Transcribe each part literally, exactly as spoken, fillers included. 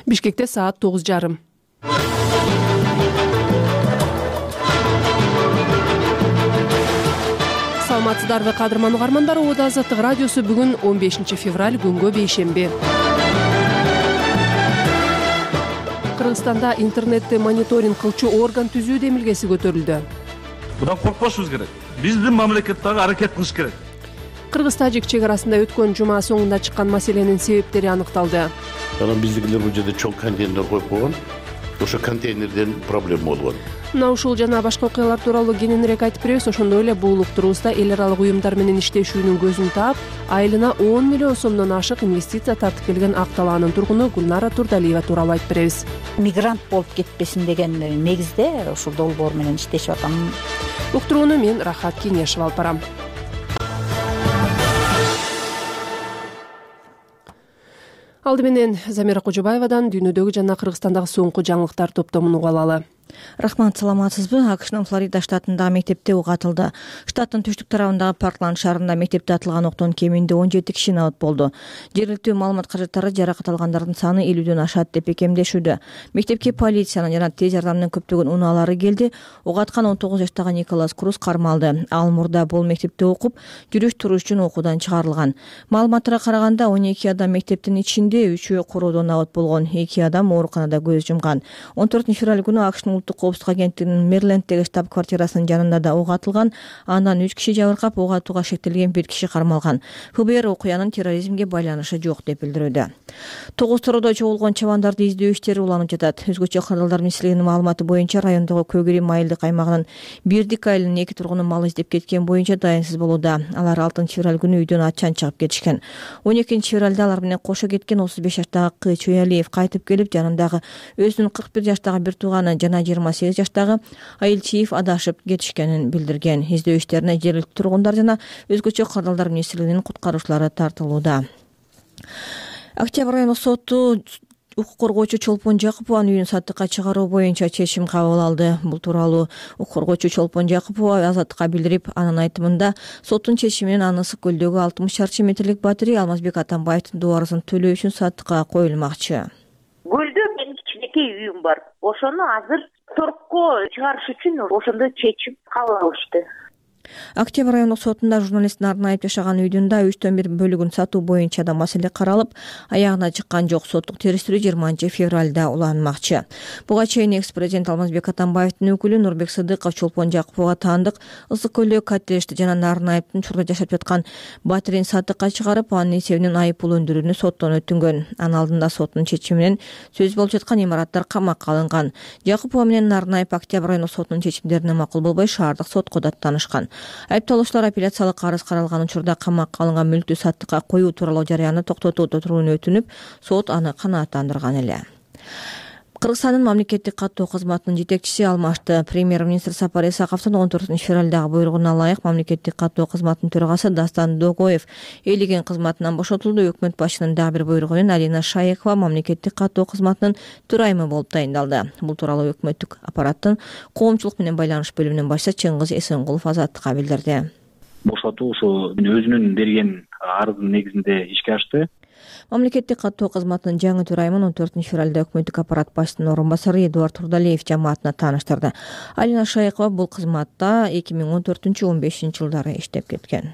Бишкекте саат тогуз жарым. Саламатсыздарбы кадырман угармандар, Ода Азаттык радиосу бүгүн он бешинчи февраль күнгө бейшемби. Кыргызстанда интернетти мониторинг кылчу орган түзүү демилгеси көтөрүлдү. Будан коркпошубуз керек. Биздин мамлекеттеги аракет кылыш керек. Кыргыз-тажик чек арасында өткөн жума соңунда чыккан маселенин себептери аныкталды. Анан биздикилер бул жерде чоң контейнер коюп койгон. Ошо контейнерден проблема болгон. Мына ушул жана башка окуялар тууралуу кененирээк айтып беребиз. Ошондой эле бул уктуруубузда эл аралык уюмдар менен иштешүүнүн көзүн таап, айылына он миллион сомдон ашык инвестиция тартып келген Ак Талаанын тургуну Гүлнара Турдалиева тууралуу айтып беребиз. Мигрант болуп кетпесин деген негизде ушул долбоор менен иштешип атам. Уктурууну мен Рахат Кеңешева алып барам. Алды менен Замира Кожобаевадан дүйнөдөгү жана Кыргызстандагы соңку жаңылыктар топтомун угуп алалы. Рахмат, саламатсызбы? АКШнын Флорида штатындагы мектепте ок атылды. Штаттын түштүк тарабындагы Паркланд шаарында мектепте атылган октон кеминде он жети киши набыт болду. Жергиликтүү маалымат каражаттары жаракат алгандардын саны элүүдөн ашат деп бекемдешүүдө. Мектепке полициянын жана тез жардамдын көптөгөн унаалары келди. Ок аткан он тогуз жаштагы Николас Круз кармалды. Ал мурда бул мектепте окуп, жүрүш туруш үчүн окуудан чыгарылган. Маалыматтарга караганда он эки адам мектептин ичинде, үчөө короодон набыт болгон. эки адам ооруканада көз жумган. он төртүнчү февраль күнү АКШнын Улуттук коопсуздук агенттигинин Мэриленддеги штаб-квартирасынын жанында да ок атылган. Андан үч киши жабыркап, ок атууга шектелген бир киши кармалган. ФБР окуянын терроризмге байланышы жок деп билдирүүдө. Тогуз тороодо чогулгон чабандарды издөө иштери уланып жатат. Өзгөчө кырдаалдар министрлигинин маалыматы боюнча райондогу Көгүрим айылдык аймагынын Бирдик айылынын эки тургуну мал издеп кеткен боюнча дайынсыз болууда. Алар алтынчы февраль күнү үйдөн ачан чыгып кетишкен. он экинчи февралда алар менен кошо кеткен отуз беш жаштагы Кы Чөйалиев кайтып келип, жанындагы өзүнүн кырк бир жаштагы бир тууганы жана жыйырма сегиз жаштагы Айылчиев адашып кетишкенин билдирген. Издөө иштерине жергиликтүү тургундар жана өзгөчө кырдаалдар министрлигинин куткаруучулары тартылууда. Октябрь райондук соту укук коргоочу Чолпон Жакупованын үйүн саттыкка чыгаруу боюнча чечим кабыл алды. Бул тууралуу укук коргоочу Чолпон Жакупова Азаттыкка билдирип, анын айтымында соттун чечими менен аны Ысык көлдөгү алтымыш чарчы метрлик батирей Алмазбек Атамбаевдин дуарысын төлөө үчүн саттыкка коюлмакчы. Көлдө менин кичинекей үйүм бар. Ошону азыр торокко чыгарыш үчүн ошондо чечим кабыл алышты. Октябрь райондук сотунда журналисттин арнайып жашаган үйдүн да үчтөн бир бөлүгүн сатуу боюнча да маселе каралып, аягына чыккан жок. Соттук териштирүү жыйырманчы февралда уланмакчы. Буга чейин экс-президент Алмазбек Атамбаевдин өкүлү Нурбек Сыдыков Чолпон Жакуповго таандык Ысык көлдөгү коттеджди жана Нарынайыптын чурда жашап жаткан батирейин саттыкка чыгарып, анын эсебинен айып пул өндүрүүнү соттон өтүнгөн. Анын алдында соттун чечими менен сөз болуп жаткан имараттар камакка алынган. Жакупова менен Нарынайып Октябрь райондук сотунун чечимдерине макул болбой, шаардык сотко даттанышкан. Айыпталуучулар апелляциялык арыз каралган учурда камакка алынган мүлктү саттыкка коюу тууралуу жарыяны токтотуу туруууну өтүнүп, сот аны канааттандырган эле. Кыргызстандын мамлекеттик каттоо кызматынын жетекчиси алмашты. Премьер-министр Сапар Исаковдун он төртүнчү февралдагы буйругуна ылайык мамлекеттик каттоо кызматынын төрагасы Дастан Догоев элеген кызматынан бошотулду. Өкмөт башчынын дагы бир буйругу менен Алина Шаекова мамлекеттик каттоо кызматынын төрайымы болуп тайындалды. Бул тууралуу өкмөттүк аппараттын коомчулук менен байланыш бөлүмүнүн башчысы Чыңгыз Эсенгулов Азаттыкка билдирди. Бошотуу ушу өзүнүн берген арыздын негизинде ишке ашты. Мамлекеттик каттоо кызматынын жаңы төрайымын он төртүнчү февралда өкмөттүк аппарат башчысынын орун басары Эдуард Турдалиев жамаатына тааныштырды. Алина Шаекова бул кызматта эки миң он төртүнчү он бешинчи жылдары иштеп кеткен.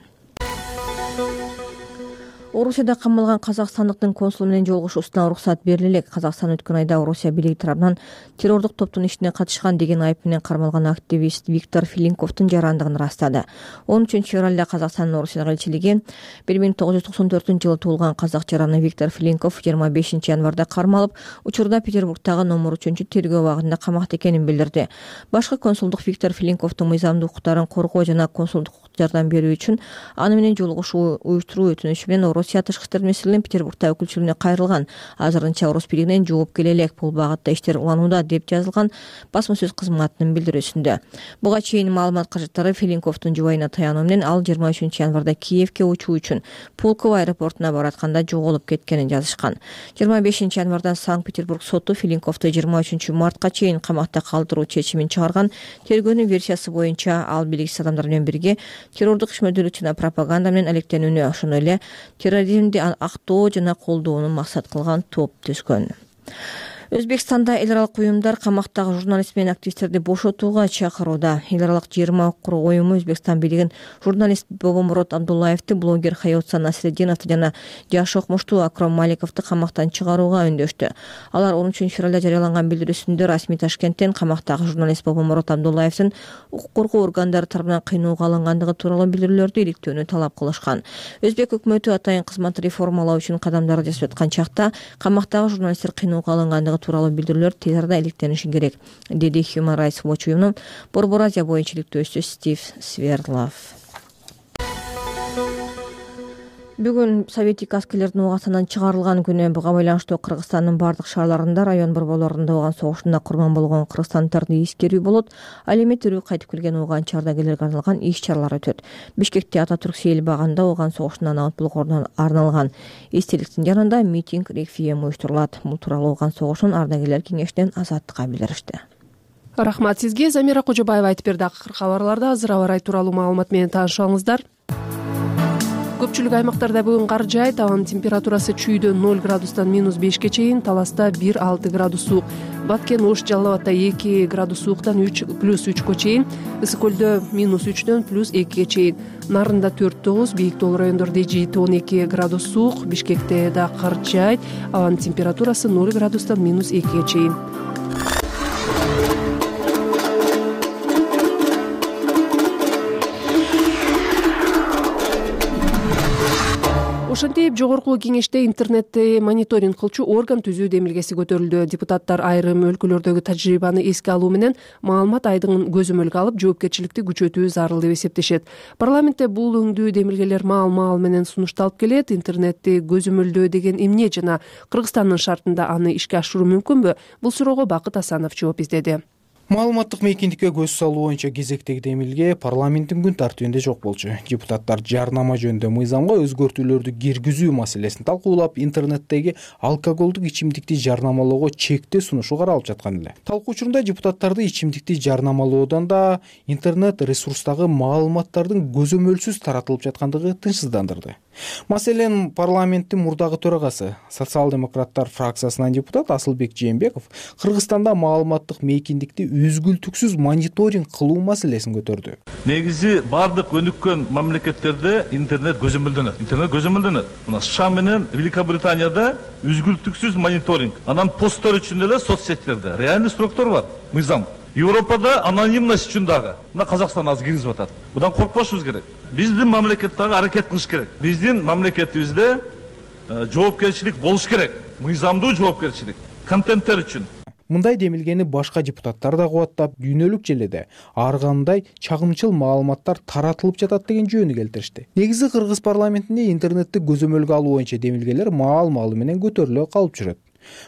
Орусияда камалган казакстандыктын консулу менен жолугушуусуна уруксат бериле элек. Казакстан өткөн айда Орусия бийлиги тарабынан террордук топтун ишине катышкан деген айып менен кармалган активист Виктор Филинковдун жарандыгын ырастады. он үчүнчү февралда Казакстандын Орусиядагы элчилиги бир миң тогуз жүз токсон төртүнчү жылы туулган казак жараны Виктор Филинков жыйырма бешинчи январда кармалып, учурда Петербургдагы номер үчүнчү тергөө абагында камакта экенин билдирди. Башкы консулдук Виктор Филинковдун мыйзамдуу укуктарын коргоо жана консулдук жардам берүү үчүн аны менен жолугушуу уюштуруу өтүнүшү менен Орусия тышкы иштер министрлигинин Петербургда өкүлчүлүгүнө кайрылган. Азырынча Орус бийлигинен жооп келе элек. Бул багытта иштер уланууда деп жазылган басма сөз кызматынын билдирүүсүндө. Буга чейин маалымат каражаттары Филинковдун жубайына таянуу менен ал жыйырма үчүнчү январда Киевке учуу үчүн Пулково аэропортуна баратканда жоголуп кеткенин жазышкан. жыйырма бешинчи январда Санкт-Петербург соту Филинковду жыйырма үчүнчү мартка чейин камакта калтыруу чечимин чыгарган. Тергөөнүн версиясы боюнча ал белгисиз адамдар менен бирге террордук ишмердүүлүк жана пропаганда менен алектенүүнү, ошондой эле терроризмди актоо жана колдоону максат кылган топ түзгөн. Өзбекстанда эл аралык уюмдар камактагы журналист менен активисттерди бошотууга чакырууда. Эл аралык жыйырма укук уюму Өзбекстан бийлигин журналист Бобомурод Абдуллаевди, блогер Хаётса Насреддиновду жана жаш окумуштуу Акром Маликовду камактан чыгарууга үндөштү. Алар он үчүнчү февралда жарыяланган билдирүүсүндө расмий Ташкенттен камактагы журналист Бобомурод Абдуллаевдин укук коргоо органдары тарабынан кыйноого алынгандыгы тууралуу билдирүүлөрдү иликтөөнү талап кылышкан. Өзбек өкмөтү атайын кызматты реформалоо үчүн кадамдарды жасап аткан чакта камактагы журналисттер кыйноого алынгандыгы тууралуу билдирүүлөр тез арада иликтениши керек, деди Human Rights Watch уюмунун Борбор Азия боюнча иликтөөчүсү Стив Сверлов. Бүгүн Советтик аскерлердин угасынан чыгарылган күнү. Буга байланыштуу Кыргызстандын бардык шаарларында, район борборлорунда болгон согушунда курман болгон кыргызстандыктарды эскерүү болот. Ал эми тирүү кайтып келген ууганчы ардагерлерге арналган иш-чаралар өтөт. Бишкекте Ататүрк сейил багында ууган согушунан абыт болгондо арналган эстеликтин жанында митинг реквием уюштурулат. Бул тууралуу ууган согушунун ардагерлер кеңешинен Азаттыкка билдиришти. Рахмат сизге. Замира Кожобаева айтып берди. Акыркы кабарларда азыр аба ырайы тууралуу маалымат менен таанышыңыздар. Көпчүлүк аймактарда бүгүн кар жаайт. Абанын температурасы чүйдөн ноль градустан минус бешке чейин, Таласта бир алты градус суук. Баткен, Ош, Жалал Абадта эки градус сууктан үч плюс үчкө чейин, Ысык көлдө минус үчтөн плюс экиге чейин, Нарында төрт тогуз, Бийик Тоол райондордо жети он эки градус суук, Бишкекте да кар жаайт. Абанын температурасы ноль градустан минус экиге чейин. Ошентип, жогорку кеңеште интернетти мониторинг кылчу орган түзүү демилгеси көтөрүлдү. Депутаттар айрым өлкөлөрдөгү тажрыйбаны эске алуу менен маалымат айдыгын көзөмөлгө алып, жоопкерчиликти күчөтүү зарыл деп эсептешет. Парламентте бул өңдүү демилгелер маал-маал менен сунушталып келет. Интернетти көзөмөлдөө деген эмне жана Кыргызстандын шартында аны ишке ашыруу мүмкүнбү? Бул суроого Бакыт Асанов жооп издеди. Маалыматтык мейкиндикке көз салуу боюнча кезектеги демилге парламенттин күн тартибинде жок болчу. Депутаттар жарнама жөнүндө мыйзамга өзгөртүүлөрдү киргизүү маселесин талкуулап, интернеттеги алкоголдук ичимдикти жарнамалоого чектөө сунушу каралып жаткан эле. Талкуу учурунда депутаттарды ичимдикти жарнамалоодон да интернет ресурстагы маалыматтардын көзөмөлсүз таратылып жаткандыгы тынчсыздандырды. Маселен, парламенттин мурдагы төрагасы, социал-демократтар фракциясынан депутат Асылбек Жээнбеков Кыргызстанда маалыматтык мейкиндикти үзгүлтүксүз мониторинг кылуу маселесин көтөрдү. Негизи бардык өнүккөн мамлекеттерде интернет көзөмөлдөнөт. Интернет көзөмөлдөнөт. Мына США менен Великобританияда үзгүлтүксүз мониторинг. Анан посттор үчүн эле соцсеттерде реальный сроктор бар, мыйзам. Европада анонимность үчүн дагы. Мына Казакстан азыр киргизип атат. Будан коркпошубуз керек. Биздин мамлекеттеги аракет кылыш керек. Биздин мамлекетибизде жоопкерчилик болуш керек. Мыйзамдуу жоопкерчилик контенттер үчүн. Мындай демилгени башка депутаттар да кубаттап, дүйнөлүк желеде ар кандай чагымчыл маалыматтар таратылып жатат деген жөнү келтиришти. Негизи Кыргыз парламентинде интернетти көзөмөлгө алуу боюнча демилгелер маал-маалы менен көтөрүлө калып жүрөт.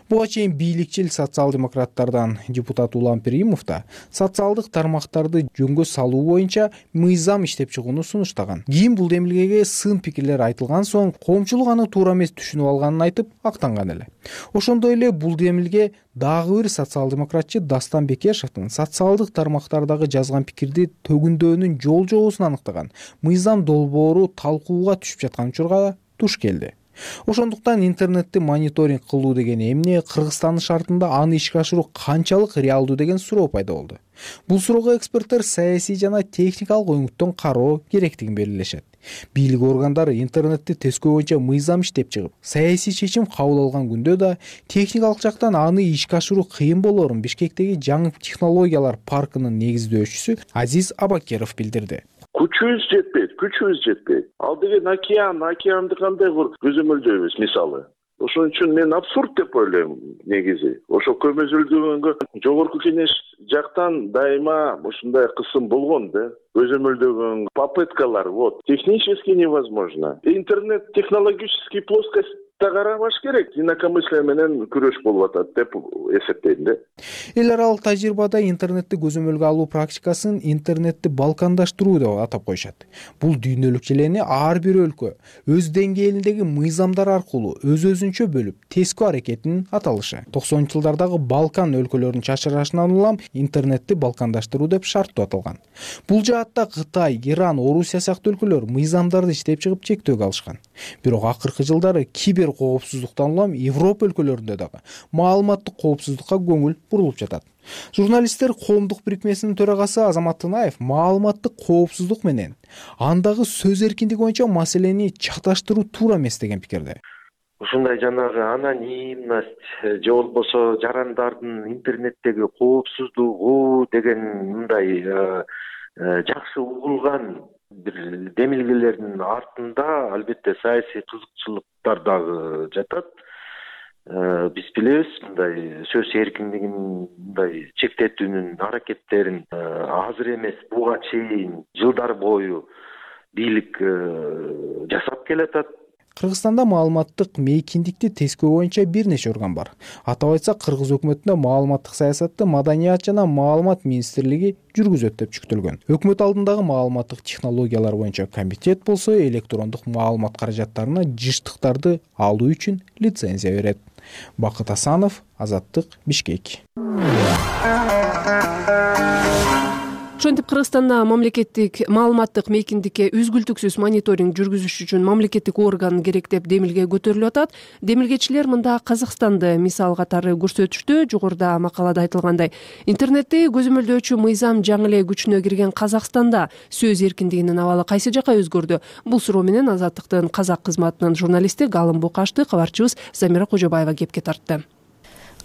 Буга чейин бийликчил социал-демократтардан депутат Улан Перимов да социалдык тармактарды жөнгө салуу боюнча мыйзам иштеп чыгууну сунуштаган. Кийин бул демилгеге сын пикирлер айтылган соң, коомчулук аны туура эмес түшүнүп алганын айтып актанган эле. Ошондой эле бул демилге дагы бир социал-демократчы Дастан Бекешевдин социалдык тармактардагы жазган пикирди төгүндөөнүн жол жобосун аныктаган мыйзам долбоору талкууга түшүп жаткан учурга туш келди. Ошондуктан интернетти мониторинг кылуу деген эмне, Кыргызстандын шартында аны ишке ашыруу канчалык реалдуу деген суроо пайда болду. Бул суроого эксперттер саясий жана техникалык оңуттон кароо керектигин белгилешет. Бийлик органдары интернетти тескөө боюнча мыйзам иштеп чыгып, саясий чечим кабыл алган күндө да техникалык жактан аны ишке ашыруу кыйын болоорун Бишкектеги жаңы технологиялар паркынын негиздөөчүсү Азиз Абакеров билдирди. Күчүбүз жетпейт, күчүбүз жетпейт. Ал деген океан, океанды кандай көзөмөлдөйбүз мисалы. Ошон үчүн мен абсурд деп ойлойм негизи. Ошо көзөмөлдөгөнгө жогорку кеңеш жактан дайыма ушундай кысым болгон да. Көзөмөлдөгөн попыткалар, вот, технически невозможно. Интернет технологический плоскость карабаш керек, инакомыслие менен күрөш болуп атат деп эсептейм да. Эл аралык тажрыйбада интернетти көзөмөлгө алуу практикасын интернетти балкандаштыруу деп атап коюшат. Бул дүйнөлүк желени ар бир өлкө өз деңгээлиндеги мыйзамдар аркылуу өз-өзүнчө бөлүп, тескөө аракетинин аталышы. токсонунчу жылдардагы Балкан өлкөлөрүнүн чачырашынан улам интернетти балкандаштыруу деп шарттуу аталган. Бул жаатта Кытай, Иран, Орусия сыяктуу өлкөлөр мыйзамдарды иштеп чыгып чектөөгө алышкан. Бирок акыркы жылдары кибер коопсуздуктан улам Европа өлкөлөрүндө дагы маалыматтык коопсуздукка көңүл бурулуп жатат. Журналисттер коомдук бирикмесинин төрагасы Азамат Тынаев маалыматтык коопсуздук менен андагы сөз эркиндиги боюнча маселени чаташтыруу туура эмес деген пикирде. Ушундай жанагы анонимность же болбосо жарандардын интернеттеги коопсуздугу деген мындай жакшы угулган бир демилгелердин артында албетте саясий кызыкчылыктар дагы жатат. Биз билебиз, мындай сөз эркиндигин мындай чектетүүнүн аракеттерин азыр эмес, буга чейин жылдар бою бийлик жасап келатат. Кыргызстанда маалыматтык мейкиндикти тескөө боюнча бир нече орган бар. Атап айтсак, Кыргыз өкмөтүндө маалыматтык саясатты Маданият жана маалымат министрлиги жүргүзөт деп жүктөлгөн. Өкмөт алдындагы маалыматтык технологиялар боюнча комитет болсо электрондук маалымат каражаттарына жыштыктарды алуу үчүн лицензия берет. Бакыт Асанов, Азаттык, Бишкек. Ошентип Кыргызстанда мамлекеттик маалыматтык мейкиндикке үзгүлтүксүз мониторинг жүргүзүш үчүн мамлекеттик орган керек деп демилге көтөрүлүп атат. Демилгечилер мында Казакстанды мисал катары көрсөтүштү. Жогоруда макалада айтылгандай, интернетти көзөмөлдөөчү мыйзам жаңы эле күчүнө кирген Казакстанда сөз эркиндигинин абалы кайсы жакка өзгөрдү? Бул суроо менен Азаттыктын казак кызматынын журналисти Галым Букашты кабарчыбыз Замира Кожобаева кепке тартты.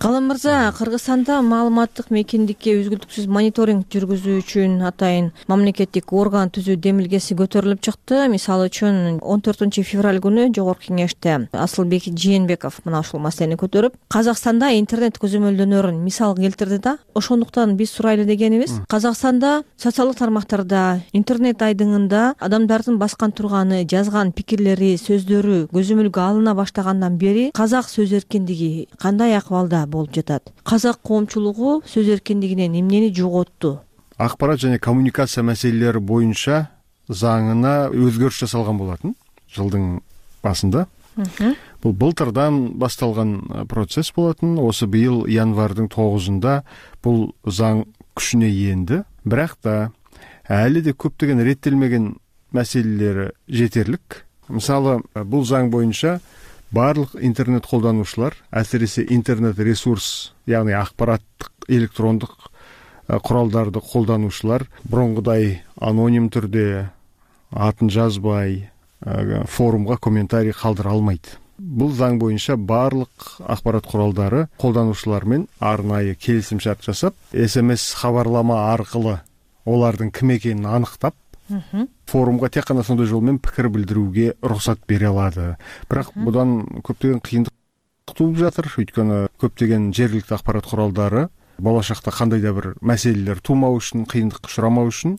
Галым мырза, Кыргызстанда маалыматтык мейкиндикке үзгүлтүксүз мониторинг жүргүзүү үчүн атайын мамлекеттик орган түзүү демилгеси көтөрүлүп чыкты. Мисалы үчүн он төртүнчү февраль күнү Жогорку кеңеште Асылбек Жээнбеков мына ушул маселени көтөрүп, Казакстанда интернет көзөмөлдөнөрүн мисал келтирди да. Ошондуктан биз сурайлы дегенибиз, Казакстанда социалдык тармактарда, интернет айдыңында адамдардын баскан турганы, жазган пикирлери, сөздөрү көзөмөлгө алына баштагандан бери казак сөз эркиндиги кандай акыбалда болуп жатат? Казак коомчулугу сөз эркиндигинен эмнени жоготту? Акпарат жана коммуникация маселелери боюнча заңына өзгөрүш жасалган болотун жылдын башында. Бул былтырдан башталган процесс болотун. Осы быйыл январдын тогузунда бул заң күчүнө энди. Бирок да әлі де көптөгөн реттелмеген маселелери жетерлик. Мисалы, бул заң боюнча барлык интернет колдонуучулар, әсіресе интернет ресурс, яғни акпараттык электрондук куралдарды колдонуучулар бурунгудай аноним түрдө атын жазбай форумга комментарий калтыра алмайт. Бул заң боюнча барлык акпарат куралдары колдонуучулар менен арнайы келисим шарт жасап, эс эм эс кабарлама аркылы олардын ким экенин аныктап, форумга тек кана сондай жол менен пикир билдирүүгө уруксат бере алады. Бирок будан көптөгөн кыйындык тууп жатыр, өйткөнү көптөгөн жергиликтүү акпарат куралдары болочокто кандай да бир маселелер туумау үчүн, кыйындыкка учурамау үчүн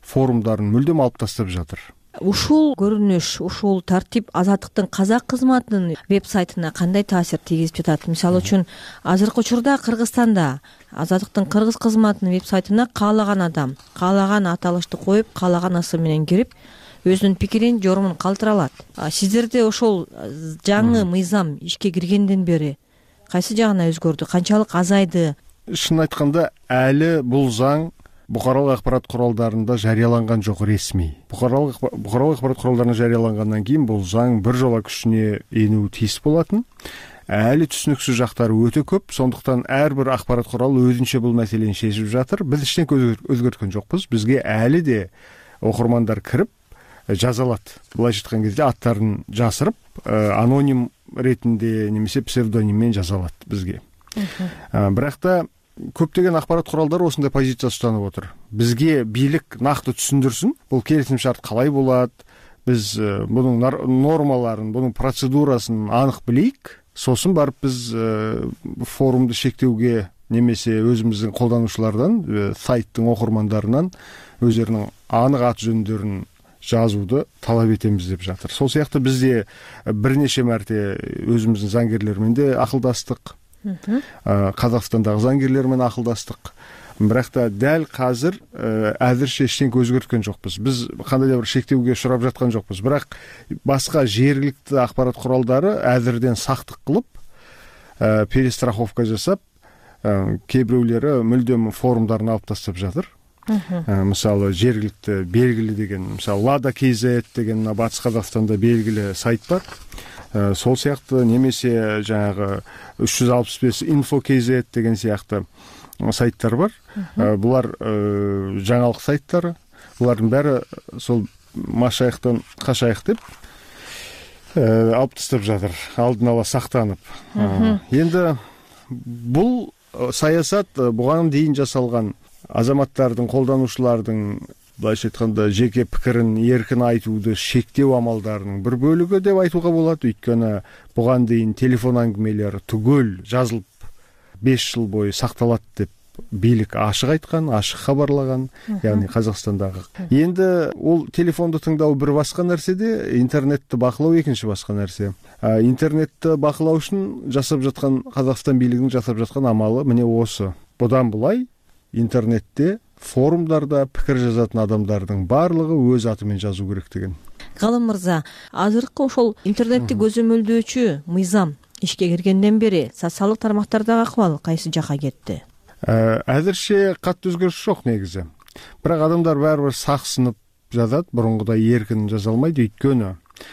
форумдарын мүлдөм алып таштап жатыр. Ушул көрүнүш, ушул тартип Азаттыктын казак кызматынын веб-сайтына кандай таасир тийгизип жатат? Мисалы үчүн, азыркы учурда Кыргызстанда Азаттыктын кыргыз кызматынын веб-сайтына каалаган адам, каалаган аталышты коюп, каалаган ысым менен кирип, өзүнүн пикирин, жорумун калтыра алат. Сиздерде ошол жаңы мыйзам ишке киргенден бери кайсы жагына өзгөрдү? Канчалык азайды? Шын айтканда, әлі бул заң букаралык акпарат куралдарында жарыяланган жок ресми. Букаралык акпарат куралдарында жарыялангандан кийин бул заң бир жолу күчүнө энүү тийиз болотун. Әлі түшүнүксүз жактары өтө көп, сондуктан ар бир акпарат куралы өзүнчө бул маселени чечип жатыр. Биз эчтеке өзгөрткөн жокпуз. Бизге әлі де окурмандар кирип жаза алат. Булайча айткан кезде аттарын жасырып, аноним ретинде немесе псевдоним менен жаза алат бизге. Бирок да көптөгөн акпарат куралдары осындай позиция устанып отур. Бизге бийлик накты түшүндүрсүн, бул келисим шарт калай болот, биз бунун нормаларын, бунун процедурасын анык билейик, сосын барып биз форумду шектеуге немесе өзүбүздүн колдонуучулардан, сайттын окурмандарынан өздөрүнүн анык ат жөндөрүн жазууду талап этебиз деп жатыр. Сол сыяктуу бизде бир нече марте өзүбүздүн заңгерлер менен де акылдастык. Казакстандагы заңгерлер менен акылдастык. Бирок да дәл казыр азырча эчтеке өзгөрткөн жокпуз. Биз кандай да бир шектеуге урап жаткан жокпуз. Бирок башка жергиликтүү акпарат куралдары азырден сактык кылып, перестраховка жасап, кээ бирөөлөрү мүлдөм форумдарын алып таштап жатыр. мисалы жергиликтүү белгилүү деген мисалы Lada kz деген Батыс Казакстанда белгилүү сайт бар. Сол сыяктуу немесе жанагы үч жүз алпыс беш info kz деген сыяктуу сайттар бар. Булар жаңалык сайттары. Булардын баары сол машаяктан кашаяк деп алып таштап жатыр, алдын ала сактанып. Енді бул саясат буга дейин жасалган азаматтардын, колдонуучулардын былайча айтканда жеке пикирин эркин айтууду шектөө амалдарынын бир бөлүгү деп айтууга болот. Өйткөнү буга дейин телефон аңгемелер түгөл жазылып беш жыл бою сакталат деп бийлик ашык айткан, ашык кабарлаган, яғни Казакстандагы. Енді ол телефонду тыңдоо бир башка нерседе, интернетти бакылоо экинчи башка нерсе. Интернетти бакылоо үчүн жасап жаткан Казакстан бийлигинин жасап жаткан амалы міне осы. Будан булай интернетте, форумдарда пикир жазатын адамдардын баардыгы өз аты менен жазуу керек деген. Галым мырза, азыркы ошол интернетти көзөмөлдөөчү мыйзам ишке киргенден бери социалдык тармактардагы акыбал кайсы жакка кетти? Азырча катты өзгөрүш жок негизи. Бирок адамдар баары бир саксынып жазат, бурунгудай эркин жаза албайт. Өйткөнү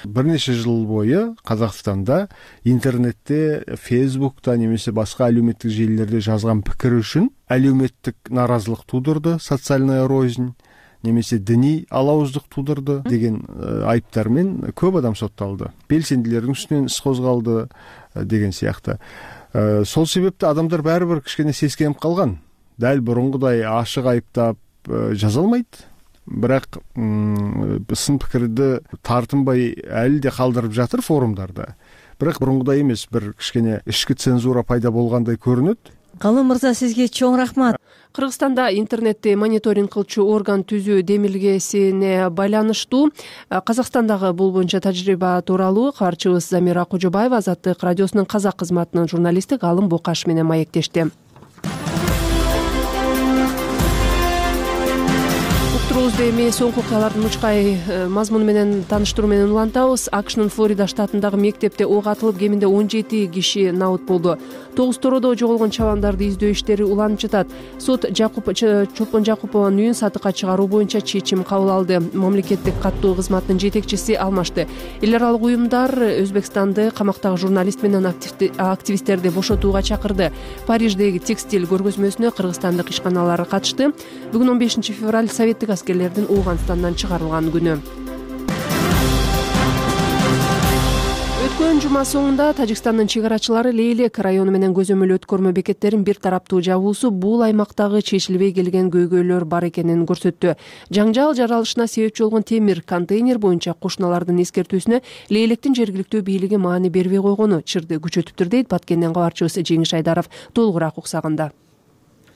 бир нече жыл бою Казакстанда интернетте, Фейсбукта немесе башка әлеуметтик желилерде жазган пикир үчүн әлеуметтик наразылык туудурду, социальная рознь немесе диний алауыздык туудурду деген айыптар менен көп адам соттолду. Белсендилердин үстүнөн иш козголду деген сыяктуу. Сол себепти адамдар баары бир кичкене сескенип калган. Дал бурунгудай ашык айыптап жаза алмайт. Бирок сын пикирди тартынбай әлі де калдырып жатыр форумдарда. Бирок бурунгудай эмес, бир кичкене ички цензура пайда болгондой көрүнөт. Галым мырза, сизге чоң рахмат. Кыргызстанда интернетти мониторинг кылчу орган түзүү демилгесине байланыштуу Казакстандагы бул боюнча тажрыйба тууралуу кабарчыбыз Замира Кожобаева Азаттык радиосунун казак кызматынын журналисти Галым Бокаш менен маектешти. Эми соңку окуялардын мучкай мазмуну менен тааныштыруу менен улантабыз. АКШнын Флорида штатындагы мектепте ок атылып, кеминде он жети киши набыт болду. Тогуз тороодо жоголгон чабандарды издөө иштери уланып жатат. Сот Чолпон Жакупованын үйүн сатыкка чыгаруу боюнча чечим кабыл алды. Мамлекеттик каттоо кызматынын жетекчиси алмашты. Эл аралык уюмдар Өзбекстанды камактагы журналист менен активисттерди бошотууга чакырды. Париждеги текстиль көргөзмөсүнө кыргызстандык ишканалар катышты. Бүгүн он бешинчи февраль советтик аскерлердин Ооганстандан чыгарылган күнү. Өткөн жума соңунда Тажикстандын чегарачылары Лейлек району менен көзөмөл өткөрмө бекеттерин бир тараптуу жабуусу бул аймактагы чечилбей келген көйгөйлөр бар экенин көрсөттү. Жаңжал жаралышына себепчи болгон темир контейнер боюнча кошуналардын эскертүүсүнө Лейлектин жергиликтүү бийлиги маани бербей койгону чырды күчөтүптүр дейт Баткенден кабарчыбыз Жеңиш Айдаров. Толугураак уксагында.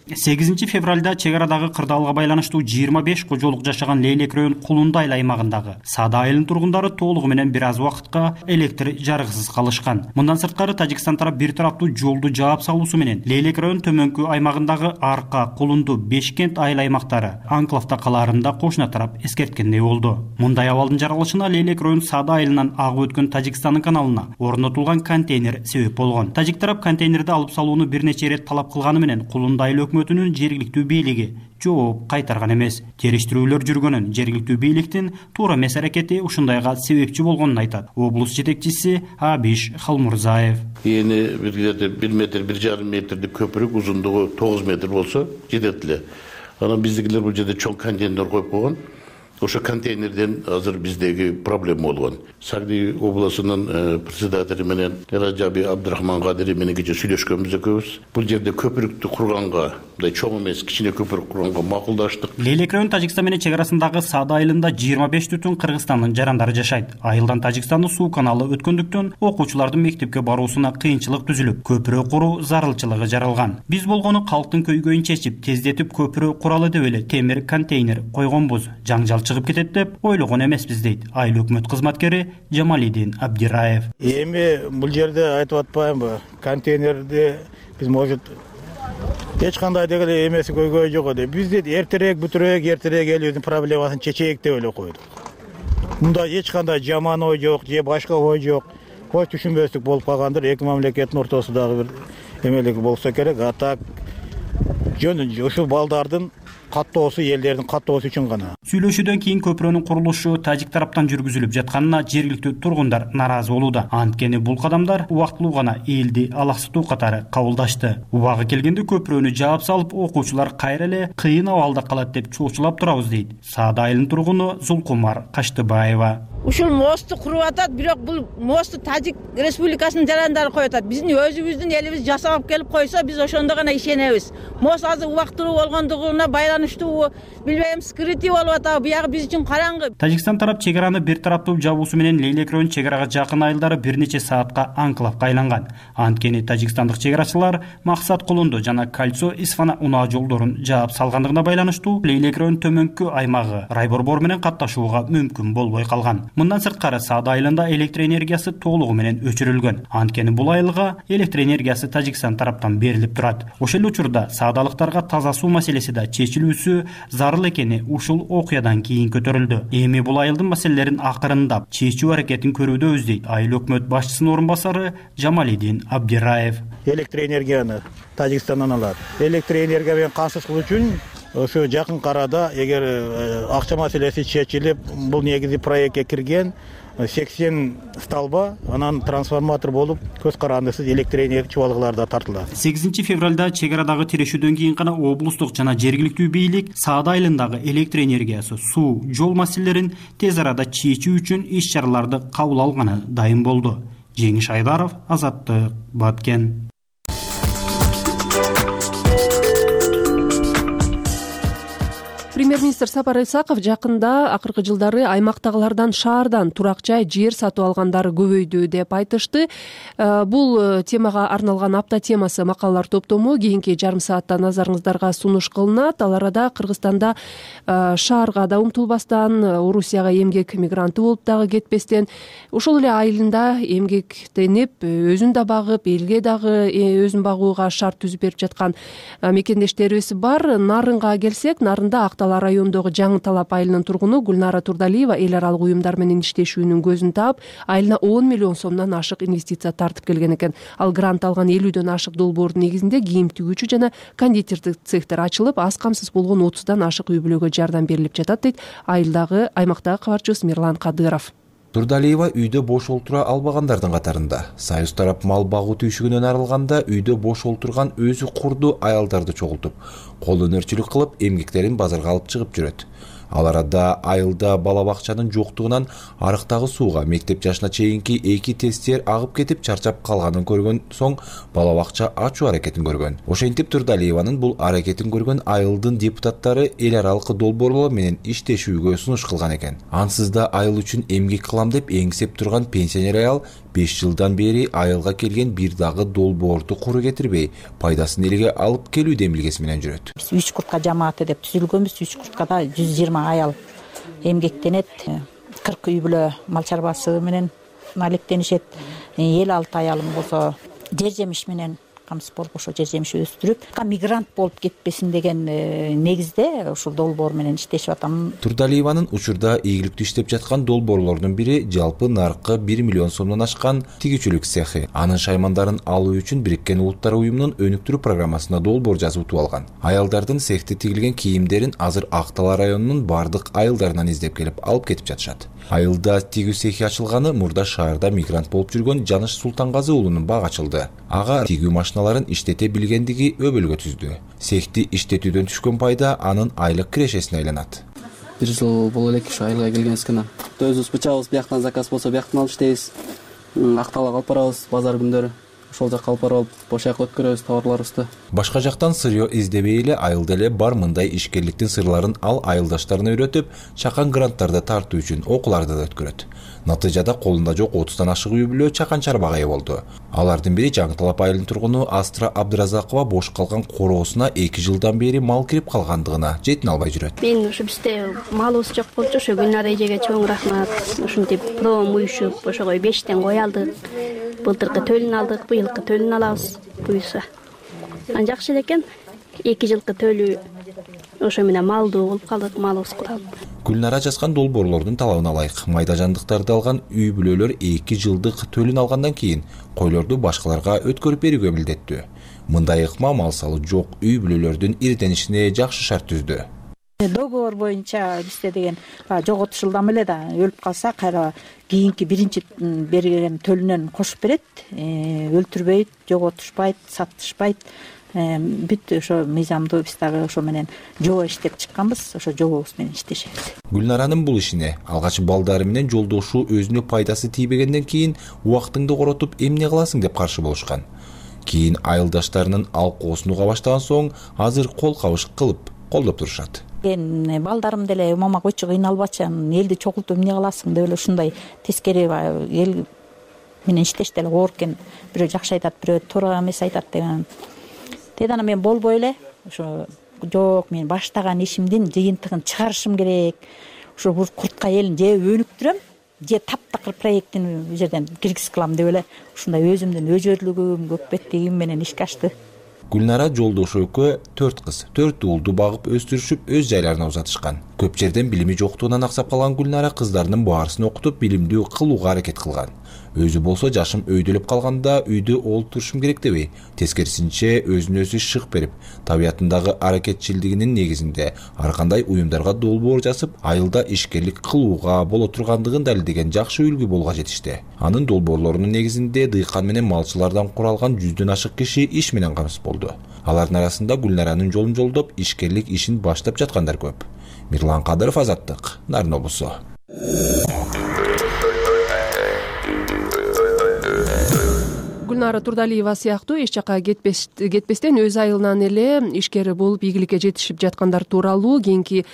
сегизинчи февралда чек арадагы кырдаалга байланыштуу жыйырма беш кожолук жашаган Лейлек район Кулундай аймагындагы Саада айылынын тургундары толугу менен бир аз убакытка электр жарыгысыз калышкан. Мындан сырткары Тажикстан тарап бир тараптуу жолду жаап салуусу менен Лейлек район төмөнкү аймагындагы Арка, Кулунду, Бешкент айыл аймактары анклавда калаарында кошуна тарап эскерткендей болду. Мындай абалдын жаралышына Лейлек район Саада айылынан агып өткөн Тажикстандын каналына орнотулган контейнер себеп болгон. Тажик тарап контейнерди алып салууну бир нече ирет талап кылганы менен Кулундай өкмөтүнүн жергиликтүү бийлиги жооп кайтарган эмес. Териштирүүлөр жүргөнүн жергиликтүү бийликтин туура эмес аракети ушундайга себепчи болгонун айтат облус жетекчиси Абиш Халмурзаев. Эни бир жерде бир метр, бир жарым метрдик көпүрөк, узундугу тогуз метр болсо жетет эле. Анан биздикилер бул жерде чоң контейнер коюп койгон. Ошо контейнерден азыр биздеги проблема болгон. Сагди областынын председатели менен Раджаби Абдурахман Кадири менен кече сүйлөшкөнбүз экөөбүз. Бул жерде көпүрөктү курганга, мындай чоң эмес, кичине көпүрөк курганга макулдаштык. Лейлек район Тажикстан менен чек арасындагы Саада айылында жыйырма беш түтүн Кыргызстандын жарандары жашайт. Айылдан Тажикстандын суу каналы өткөндүктөн окуучулардын мектепке баруусуна кыйынчылык түзүлүп, көпүрө куруу зарылчылыгы жаралган. Биз болгону калктын көйгөйүн чечип, тездетип көпүрө куралы деп эле темир контейнер койгонбуз. Жаңжал чыгып кетет деп ойлогон эмеспиз дейт айыл өкмөт кызматкери Жамалидин Абдираев. Эми бул жерде айтып атпаймынбы, контейнерди биз может эч кандай деген эмеси көйгөй жок деп. Биз дейт эртерээк бүтүрөөк, эртерээк элибиздин проблемасын чечейик деп эле койдук. Мында эч кандай жаман ой жок, же башка ой жок. Кой түшүнбөстүк болуп калгандыр. Эки мамлекеттин ортосундагы бир эмелик болсо керек. А так жөн ушул балдардын каттоосу элдердин каттоосу үчүн гана. Сүйлөшүүдөн кийин көпүрөнүн курулушу тажик тараптан жүргүзүлүп жатканына жергиликтүү тургундар нааразы болууда. Анткени бул кадамдар убактылуу гана элди алаксытуу катары кабылдашты. Убагы келгенде көпүрөнү жаап салып, окуучулар кайра эле кыйын абалда калат деп чоочулап турабыз дейт Саада айылынын тургуну Зулкумар Каштыбаева. Ушул мосту куруп атат, бирок бул мосту Тажик Республикасынын жарандары коюп атат. Биздин өзүбүздүн элибиз жасап келип койсо, биз ошондо гана ишенебиз. Мост азыр убактылуу болгондугуна байланыштуу, билбейм, скрытый болуп атабы, биягы биз үчүн караңгы. Тажикстан тарап чек араны бир тараптуу жабуусу менен Лейлек районунун чек арага жакын айылдары бир нече саатка анклавга айланган. Анткени тажикстандык чек арачылар Максат Кулунду жана Кольцо Исфана унаа жолдорун жаап салгандыгына байланыштуу Лейлек районунун төмөнкү аймагы райборбор менен катташууга мүмкүн болбой калган. Мындан сырткары Саада айылында электр энергиясы толугу менен өчүрүлгөн. Анткени бул айылга электр энергиясы Тажикстан тараптан берилип турат. Ошол учурда саадалыктарга таза суу маселеси да чечилүүсү зарыл экени ушул окуядан кийин көтөрүлдү. Эми бул айылдын маселелерин акырындап чечүү аракетин көрүүдөбүз дейт айыл өкмөт башчысынын орун басары Жамалидин Абдираев. Электр энергияны Тажикстандан алат. Электр энергия менен камсыз кылуу үчүн ошо жакын арада эгер акча маселеси чечилип, бул негизи проектке кирген сексен столба, анан трансформатор болуп, көз карандысыз электр энергия чубалгылары да тартылат. сегизинчи февралда чек арадагы тирешүүдөн кийин гана облустук жана жергиликтүү бийлик Саада айылындагы электр энергиясы, суу, жол маселелерин тез арада чечүү үчүн иш чараларды кабыл алганы дайым болду. Жеңиш Айдаров, Азаттык, Баткен. Премьер-министр Сапар Исаков жакында акыркы жылдары аймактагылардан шаардан турак жай жер сатып алгандары көбөйдү деп айтышты. Бул темага арналган апта темасы макалалар топтому кийинки жарым саатта назарыңыздарга сунуш кылынат. Ал арада Кыргызстанда шаарга да умтулбастан, Орусияга эмгек мигранты болуп дагы кетпестен, ошол эле айылында эмгектенип, өзүн да багып, элге дагы өзүн багууга шарт түзүп берип жаткан мекендештерибиз бар. Нарынга келсек, Нарында Актала райондогу Жаңы Талап айылынын тургуну Гүлнара Турдалиева эл аралык уюмдар менен иштешүүнүн көзүн таап, айылына он миллион сомдон ашык инвестиция тартып келген экен. Ал грант алган элүүдөн ашык долбоордун негизинде кийим тигүүчү жана кондитердик цехтер ачылып, аз камсыз болгон отуздан ашык үй бүлөгө жардам берилип жатат дейт айылдагы аймактагы кабарчыбыз Мирлан Кадыров. Турдалиева үйдө бош олтура албагандардын катарында. Союз тарап мал багуу түйшүгүнөн арылганда үйдө бош олтурган өзү курду аялдарды чогултуп, кол өнөрчүлүк кылып, эмгектерин базарга алып чыгып жүрөт. Ал арада айылда бала бакчанын жоктугунан арыктагы сууга мектеп жашына чейинки эки тестер агып кетип чарчап калганын көргөн соң бала бакча ачуу аракетин көргөн. Ошентип Турдалиеванын бул аракетин көргөн айылдын депутаттары эл аралык долбоорлор менен иштешүүгө сунуш кылган экен. Ансыз да айыл үчүн эмгек кылам деп эңсеп турган пенсионер аял беш жылдан бери айылга келген бир дагы долбоорду куру кетирбей, пайдасын элге алып келүү демилгеси менен жүрөт. Биз үч куртка жамааты деп түзүлгөнбүз. үч курткада жүз жыйырма аял эмгектенет. кырк үй бүлө мал чарбасы менен алектенишет. элүү алты аялым болсо жер жемиш менен камсыз болуп ошо жер жемиш өстүрүп, мигрант болуп кетпесин деген негизде ушул долбоор менен иштешип атам. Турдалиеванын учурда ийгиликтүү иштеп жаткан долбоорлордун бири жалпы наркы бир миллион сомдон ашкан тигүүчүлүк цехи. Анын шаймандарын алуу үчүн Бириккен Улуттар уюмунун өнүктүрүү программасына долбоор жазып утуп алган. Аялдардын цехте тигилген кийимдерин азыр Актала районунун бардык айылдарынан издеп келип алып кетип жатышат. Айылда тигүү цехи ачылганы мурда шаарда мигрант болуп жүргөн Жаныш Султангазы уулунун бак ачылды. Ага тигүү машиналарын иштете билгендиги өбөлгө түздү. Цехти иштетүүдөн түшкөн пайда анын айлык кирешесине айланат. Бир жыл боло элек ушу айылга келгенбиз гана. Өзүбүз бычабыз бияктан заказ болсо бияктан алып иштейбиз. Акталга алып барабыз базар күндөрү. Ошол жакка алып барып, бош аяк өткөрөбүз товарларыбызды. Башка жактан сырьё издебей эле айылда эле бар мындай ишкерликтин сырларын ал айылдаштарына үйрөтүп, чакан гранттарды тартуу үчүн окууларды да өткөрөт. Натыйжада колунда жок отуздан ашык үй бүлө чакан чарбага ээ болду. Алардын бири Жаңы Талап айылынын тургуну Астра Абдыразакова бош калган короосуна эки жылдан бери мал кирип калгандыгына жетине албай жүрөт. Мен ушу бизде малыбыз жок болчу, ошо Гүлнара эжеге чоң рахмат. Ушинтип проом уюшуп, ошого бештен кой алдык. Былтыркы төлүн алдык, быйылкы төлүн алабыз буюрса. Ан жакшы экен. эки жылкы төлү ошо менен малдуу болуп калдык, малыбыз куралып. Гүлнара жазган долбоорлордун талабын алайык. Майда жандыктарды алган үй бүлөлөр эки жылдык төлүн алгандан кийин койлорду башкаларга өткөрүп берүүгө милдеттүү. Мындай ыкма мал салуу жок үй бүлөлөрдүн ирденишине жакшы шарт түздү. Договор боюнча бизде деген жоготушулдам эле да өлүп калса кайра кийинки биринчи берген төлүнөн кошуп берет, өлтүрбөйт, жоготушпайт, сатышпайт. Бүт ошо мыйзамды биз дагы ошо менен жобо иштеп чыкканбыз, ошо жобобуз менен иштешебиз. Гүлнаранын бул ишине алгач балдары менен жолдошу өзүнө пайдасы тийбегенден кийин убактыңды коротуп эмне кыласың деп каршы болушкан. Кийин айылдаштарынын алкоосун уга баштаган соң азыр кол кабыш кылып колдоп турушат. Мен балдарым деле мама койчу кыйналбачы, элди чогултуп эмне кыласың деп эле ушундай тескери эл менен иштеш деле оор экен. Бирөө жакшы айтат, бирөө туура эмес айтат деген. Тедана мен болбой эле ошо жок, мен баштаган ишимдин жыйынтыгын чыгарышым керек. Ошо бир куртка элин же өнүктүрөм, же таптакыр проекттин бул жерден киргиз кылам деп эле ушундай өзүмдүн өжөрлүгүм, көкбеттигим менен ишке ачты. Гүлнара жолдошу экөө төрт кыз, төрт уулду багып өстүрүшүп өз жайларына узатышкан. Көп жерден билими жоктугунан аксап калган Гүлнара кыздарынын баарысын окутуп билимдүү кылууга аракет кылган. Өзү болсо жашым өйдөлөп калганда үйдө олтурушум керек деби, тескерисинче өзүнө өзү шык берип, табиятындагы аракетчилдигинин негизинде ар кандай уюмдарга долбоор жазып, айылда ишкерлик кылууга боло тургандыгын далилдеген жакшы үлгү болууга жетишти. Анын долбоорлорунун негизинде дыйкан менен малчылардан куралган жүздөн ашык киши иш менен камсыз болду. Алардын арасында Гүлнаранын жолун жолдоп, ишкерлик ишин баштап жаткандар көп. Мирлан Кадыров, Азаттык, Нарын облусу. Гүлнара Турдалиева сыяктуу эч жака кетпестен өз айылынан эле ишкер болуп ийгиликке жетишип жаткандар тууралуу кийинки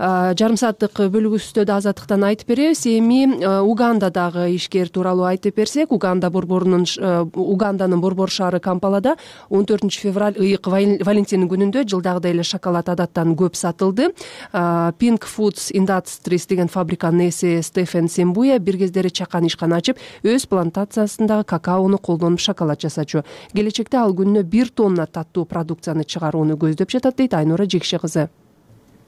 жарым сааттык бөлүгүбүздө Азаттыктан айтып беребиз. Эми Угандадагы ишкер тууралуу айтып берсек, Уганда борборунун Уганданын борбор шаары Кампалада он төртүнчү февраль ыйык Валентин күнүндө жылдагыдай эле шоколад адаттан көп сатылды. Pink Foods Industries деген фабриканын ээси Стефен Сембуя бир кездери чакан ишкана ачып, өз плантациясындагы какаону колдонуп шоколад жасачу. Келечекте ал күнүнө бир тонна таттуу продукцияны чыгарууну көздөп жатат дейт Айнура Жекше кызы.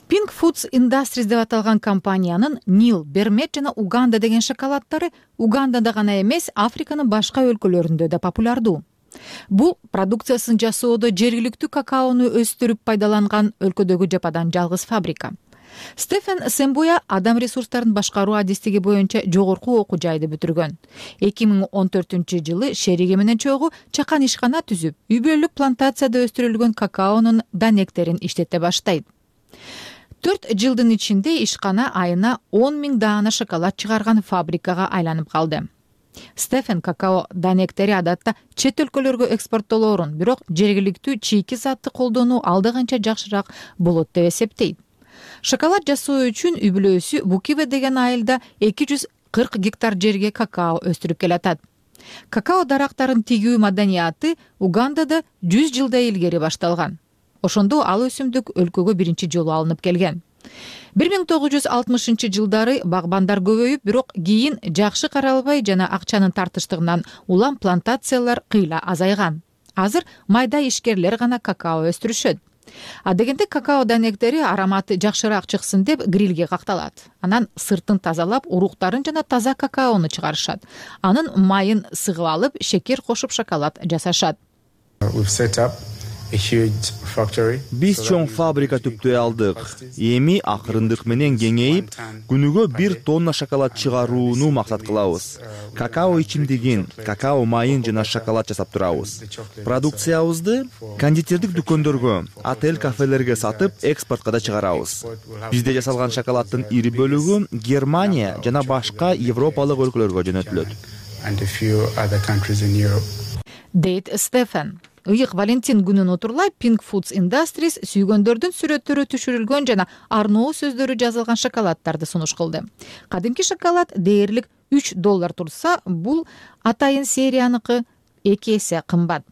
Pink Foods Industries деп аталган компаниянын Нил, Бермет жана Уганда деген шоколаддары Угандада гана эмес, Африканын башка өлкөлөрүндө да популярдуу. Бул продукциясын жасоодо жергиликтүү какаону өстүрүп пайдаланган өлкөдөгү жападан жалгыз фабрика. Стефен Сембуя адам ресурстарын башкаруу адистиги боюнча жогорку окуу жайды бүтүргөн. эки миң он төртүнчү жылы шериги менен чогуу чакан ишкана түзүп, үй бүлөлүк плантацияда өстүрүлгөн какаонун данектерин иштете баштайт. Төрт жылдын ичинде ишкана айына он миң даана шоколад чыгарган фабрикага айланып калды. Стефен какао данектери адатта чет өлкөлөргө экспорттолоорун, бирок жергиликтүү чийки затты колдонуу алда канча жакшыраак болот деп эсептейт. Шоколад жасоо үчүн үй бүлөсү Букиве деген айылда эки жүз кырк гектар жерге какао өстүрүп келатат. Какао дарактарын тигүү маданияты Угандада жүз жылдай илгери башталган. Ошондо ал өсүмдүк өлкөгө биринчи жолу алынып келген. бир миң тогуз жүз алтымышынчы жылдары багбандар көбөйүп, бирок кийин жакшы каралбай жана акчанын тартыштыгынан улам плантациялар кыйла азайган. Азыр майда ишкерлер гана какао өстүрүшөт. А дегенде какао данектери ароматы жакшыраак чыксын деп грилге какталат. Анан сыртын тазалап, уруктарын жана таза какаону чыгарышат. Анын майын сыгып алып, шекер кошуп шоколад жасашат. Биз чоң фабрика түптөй алдык. Эми акырындык менен кеңейип, күнүгө бир тонна шоколад чыгарууну максат кылабыз. Какао ичимдигин, какао майын жана шоколад жасап турабыз. Продукциябызды кондитердик дүкөндөргө, отель, кафелерге сатып, экспортко да чыгарабыз. Бизде жасалган шоколаддын ири бөлүгү Германия жана башка европалык өлкөлөргө жөнөтүлөт. Дейт Стефен. Ыйык Валентин күнүн отурлай Pink Foods Industries сүйгөндөрдүн сүрөттөрү түшүрүлгөн жана арноо сөздөрү жазылган шоколаддарды сунуш кылды. Кадимки шоколад дээрлик үч доллар турса, бул атайын серияныкы эки эсе кымбат.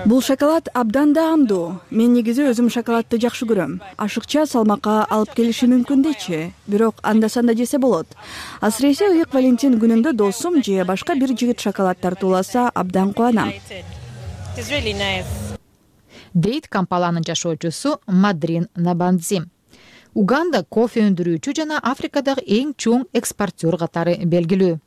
Бул шоколад абдан даамдуу. Мен негизи өзүм шоколадты жакшы көрөм. Ашыкча салмакка алып келиши мүмкүн дейчи, бирок анда-санда жесе болот. Асыресе ыйык Валентин күнүндө досум же башка бир жигит шоколад тартууласа абдан кубанам. Дейт Кампаланын жашоочусу Мадрин Набандзи. Уганда кофе өндүрүүчү жана Африкадагы эң чоң экспортер катары белгилүү.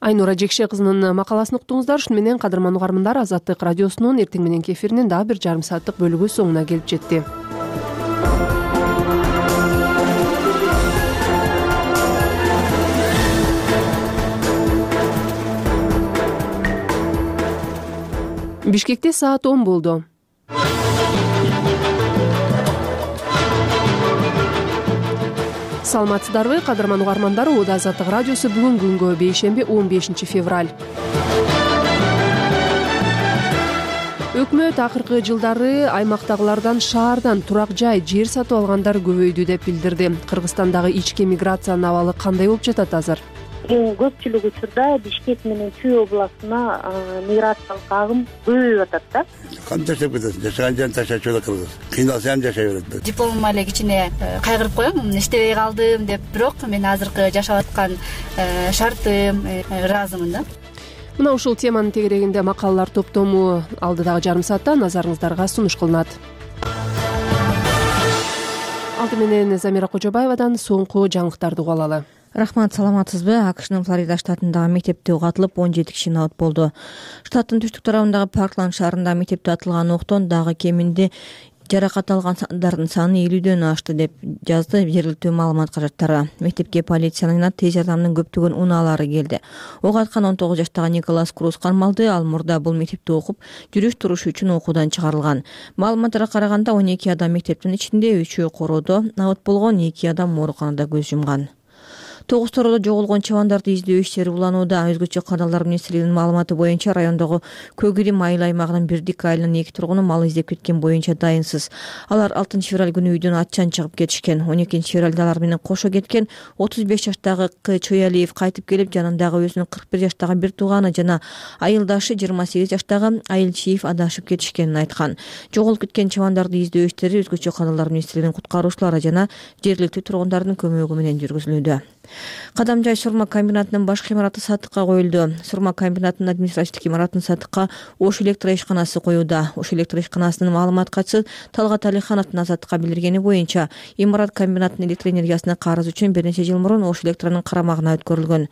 Айнура Жекше кызынын макаласын уктуңуздар. Ушуну менен кадырман угармандар, Азаттык радиосунун эртең мененки эфиринин дагы бир жарым сааттык бөлүгү соңуна келип жетти. Бишкекте саат он болду. Саламатсыздарбы, кадырман угармандар? Ууда Азаттык радиосу бүгүн күнгө бейшемби он бешинчи февраль. Өкмөт акыркы жылдары аймактагылардан шаардан турак жай, жер сатып алгандар көбөйдү деп билдирди. Кыргызстандагы ички миграциянын абалы кандай болуп жатат азыр? Эң көпчүлүк учурда Бишкек менен Чүй областына миграциялык агым көбөйүп атат да. Кантип жашап кетесиң? Жашаган жерин таштачу эле кыргыз. Кыйналса ham жашай берет. Дипломум эле кичине кайгырып коем, иштебей калдым деп, бирок мен азыркы жашап аткан шартым ыраазымын да. Мына ушул теманын тегерегинде макалалар топтому алдыдагы жарым саатта назарыңыздарга сунуш кылынат. Алды менен Замира Кожобаевадан соңку жаңылыктарды угуп алалы. Рахмат, саламатсызбы? АКШнын Флорида штатындагы мектепте угу атылып он жети киши абат болду. Штаттын түштүк тарабындагы Паркланд шаарында мектепте атылган октон дагы кеминде жаракат алгандардын саны элүүдөн ашты деп жазды жергиликтүү маалымат каражаттары. Мектепке полициянын тез жардамдын көптөгөн унаалары келди. Ок аткан он тогуз жаштагы Николас Круз кармалды. Ал мурда бул мектепте окуп, жүрүш туруш үчүн окуудан чыгарылган. Маалыматтарга караганда он эки адам мектептин ичинде, үчөө короодо абат болгон, эки адам ооруканада көз жумган. Тогуз тороодо жоголгон чабандарды издөө иштери уланууда. Өзгөчө кадалар министрлигинин маалыматы боюнча райондогу Көгирим айыл аймагынын Бирдик айылынын эки тургуну мал издеп кеткен боюнча дайынсыз. Алар алтынчы февраль күнү үйдөн атчан чыгып кетишкен. он экинчи февралда алар менен кошо кеткен отуз беш жаштагы К Чоялиев кайтып келип, жанындагы өзүнүн кырк бир жаштагы бир тууганы жана айылдашы жыйырма сегиз жаштагы Айылчиев адашып кетишкенин айткан. Жоголуп кеткен чабандарды издөө иштери өзгөчө кадалар министрлигинин куткаруучулары жана жергиликтүү тургундардын көмөгү менен жүргүзүлүүдө. Кадамжай сурма комбинатынын башкы имараты сатыкка коюлду. Сурма комбинатынын административдик имаратын сатыкка Ош электр ишканасы коюуда. Ош электр ишканасынын маалымат катчысы Талгат Алихановдун Азаттыкка билдиргени боюнча, имарат комбинатынын электр энергиясына карыз үчүн бир нече жыл мурун Ош электронун карамагына өткөрүлгөн.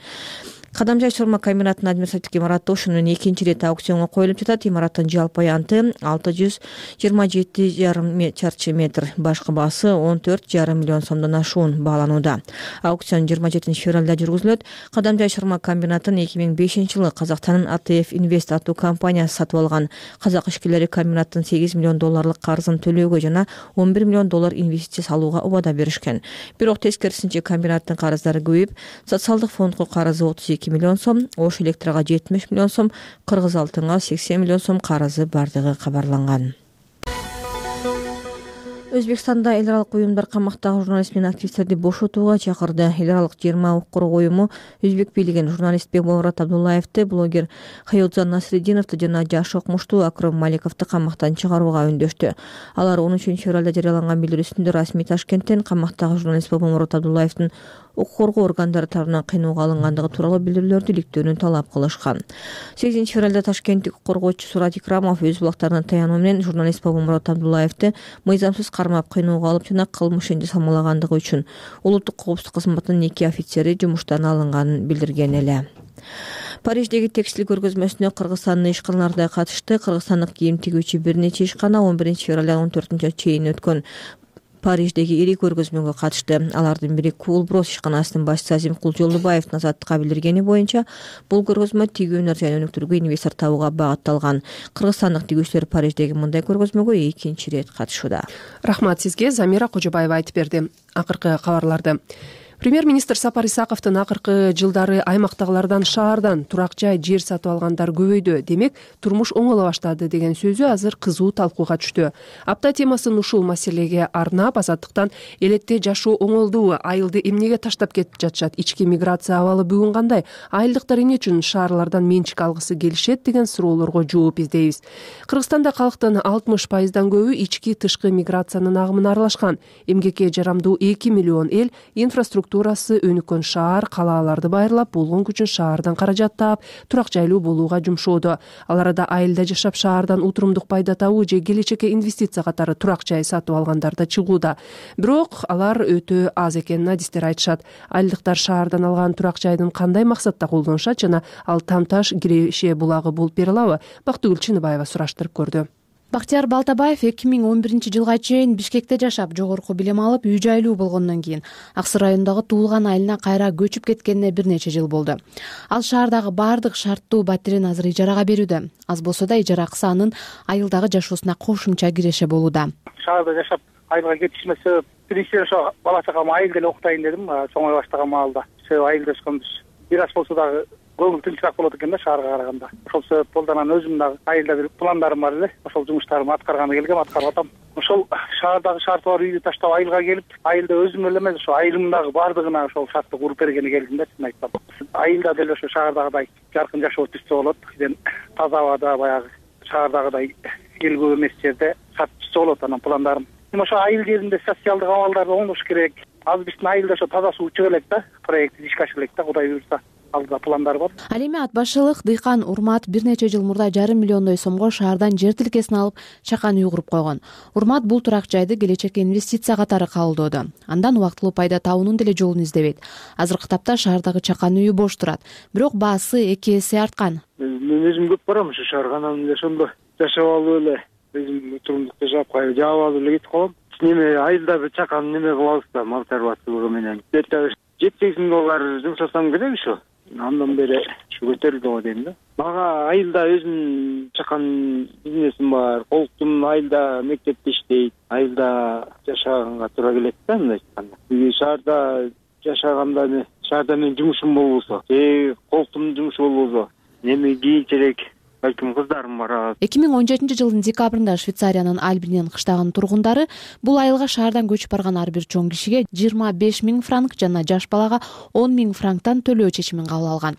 Кадамжай сурма комбинатынын административдик имараты ушунун экинчи ирет аукционго коюлуп жатат. Имараттын жалпы аянты алты жүз жыйырма жети жарым чарчы метр, башкы баасы он төрт жарым миллион сомдон ашуун бааланууда. Аукцион жыйырма жетинчи февралда жүргүзүлөт. Кадамжай сурма комбинатын эки миң бешинчи жылы Казакстандын А Т Ф Инвест аттуу компаниясы сатып алган. Казак ишкерлери комбинаттын сегиз миллион долларлык карызын төлөөгө жана он бир миллион доллар инвестиция салууга убада беришкен. Бирок тескерисинче комбинаттын карыздары көбөйүп, социалдык фондго карызы отуз эки миллион сом, Ош электрга жетимиш миллион сом, Кыргыз алтынга сексен миллион сом карызы бардыгы кабарланган. Өзбекстанда эл аралык уюмдар камактагы журналист менен активисттерди бошотууга чакырды. Эл аралык жыйырма укук уюму өзбек бийлигин журналист Бекболмурат Абдуллаевди, блогер Хаётзан Насреддиновду жана жаш окумуштуу Акрым Маликовду камактан чыгарууга үндөштү. Алар он үчүнчү февралда жарыяланган билдирүүсүндө расмий Ташкенттен камактагы журналист Бекболмурат Абдуллаевдин укук коргоо органдары тарабынан кыйноого алынгандыгы тууралуу билдирүүлөрдү иликтөөнү талап кылышкан. сегизинчи февралда Ташкенттик укук коргоочу Сурат Икрамов өз булактарына таянуу менен журналист Бекболмурат Абдуллаевди мыйзамсыз кармап кыйноого алып жана кылмышын жасамалагандыгы үчүн улуттук коопсуздук кызматынын эки офицери жумуштан алынганын билдирген эле. Париждеги текстиль көргөзмөсүнө Кыргызстандын ишканалары да катышты. Кыргызстандык кийим тигүүчү бир нече ишкана он биринчи февралдан он төртүнчү чейин өткөн Париждеги ири көргөзмөгө катышты. Алардын бири Куулброс ишканасынын башчысы Азимкул Жолдубаевдин Азаттыкка билдиргени боюнча, бул көргөзмө тигүүнөр жана өнүктүрүүгө инвестор табууга багытталган. Кыргызстандык тигүүчүлөр Париждеги мындай көргөзмөгө экинчи ирет катышууда. Рахмат сизге, Замира Кожобаева айтып берди акыркы кабарларды. Премьер-министр Сапар Исаковдун акыркы жылдары аймактагылардан шаардан турак жай, жер сатып алгандар көбөйдү. Демек, турмуш оңоло баштады деген сөзү азыр кызуу талкууга түштү. Апта темасын ушул маселеге арнап Азаттыктан элетте жашоо оңолдубу, айылды эмнеге таштап кетип жатышат, ички миграция абалы бүгүн кандай, айылдыктар эмне үчүн шаарлардан менчик алгысы келишет деген суроолорго жооп издейбиз. Кыргызстанда калктын алтымыш пайыздан көбү ички тышкы миграциянын агымына аралашкан. Эмгекке жарамдуу эки миллион эл инфраструктура инфраструктурасы өнүккөн шаар калааларды байырлап болгон күчүн шаардан каражат таап турак жайлуу болууга жумшоодо. Ал арада айылда жашап шаардан утурумдук пайда табуу же келечекке инвестиция катары турак жай сатып алгандар да чыгууда. Бирок алар өтө аз экенин адистер айтышат. Айылдыктар шаардан алган турак жайдын кандай максатта колдонушат жана ал Тамташ Киреше булагы болуп бере алабы? Бактыгүл Чыныбаева сураштырып көрдү. Бактияр Балтабаев эки миң он биринчи жылга чейин Бишкекте жашап, жогорку билим алып, үй жайлуу болгондон кийин Ак Суу районундагы туулган айылына кайра көчүп кеткенине бир нече жыл болду. Ал шаардагы баардык шарттуу батирин азыр ижарага берүүдө. Аз болсо да ижара акысы анын айылдагы жашоосуна кошумча киреше болууда. Шаарда жашап айылга кетишиме себеп биринчиден ошо бала чакам айылда эле окутайын дедим, чоңой баштаган маалда. Себеби айылда өскөнбүз. Бир аз болсо дагы көңүл тынчыраак болот экен да шаарга караганда. Ошол себеп болду анан өзүмдүн дагы айылда бир пландарым бар эле. Ошол жумуштарымды аткарганы келгем, аткарып атам. Ошол шаардагы шарты бар үйдү таштап айылга келип, айылда өзүм эле эмес, ошо айылымдагы баардыгына ошол шартты куруп бергени келдим да, чын айтсам. Айылда деле ошо шаардагыдай жаркын жашоо түзсө болот. Кийин таза абада баягы шаардагыдай эл көп эмес жерде шарт түзсө болот анан пландарым. Эми ошо айыл жеринде социалдык абалдар оңдош керек. Азыр биздин айылда ошо таза суу чыга элек да, проект ишке ашыра элек да, Кудай буйрса. Алдыда пландар бар. Ал эми ат башылык дыйкан Урмат бир нече жыл мурда жарым миллиондой сомго шаардан жер тилкесин алып, чакан үй куруп койгон. Урмат бул турак жайды келечекке инвестиция катары кабылдоодо. Андан убактылуу пайда табуунун деле жолун издебейт. Азыркы тапта шаардагы чакан үйү бош турат, бирок баасы эки эсе арткан. Мен өзүм көп барам ошо шаарга, анан эле ошондо жашап алып эле өзүм турумдук жашап, жаап алып эле кетип калам. Неме айылда бир чакан неме кылабыз да, мал чарбачылыгы менен. жети сегиз миң доллар жумшасам керек ошо. Андан бери ушу көтөрүлдү го дейм да. Мага айылда өзүм чакан бизнесим бар. Колтум айылда мектепте иштейт. Айылда жашаганга туура келет да, мындай айтканда. Шаарда жашаганда, шаарда менин жумушум болбосо, же колтумдун жумушу болбосо, эми кийинчерээк балким кыздарым бар. эки миң он жетинчи жылдын декабрында Швейцариянын Альбинен кыштагынын тургундары бул айылга шаардан көчүп барган ар бир чоң кишиге жыйырма беш миң франк жана жаш балага он миң франктан төлөө чечимин кабыл алган.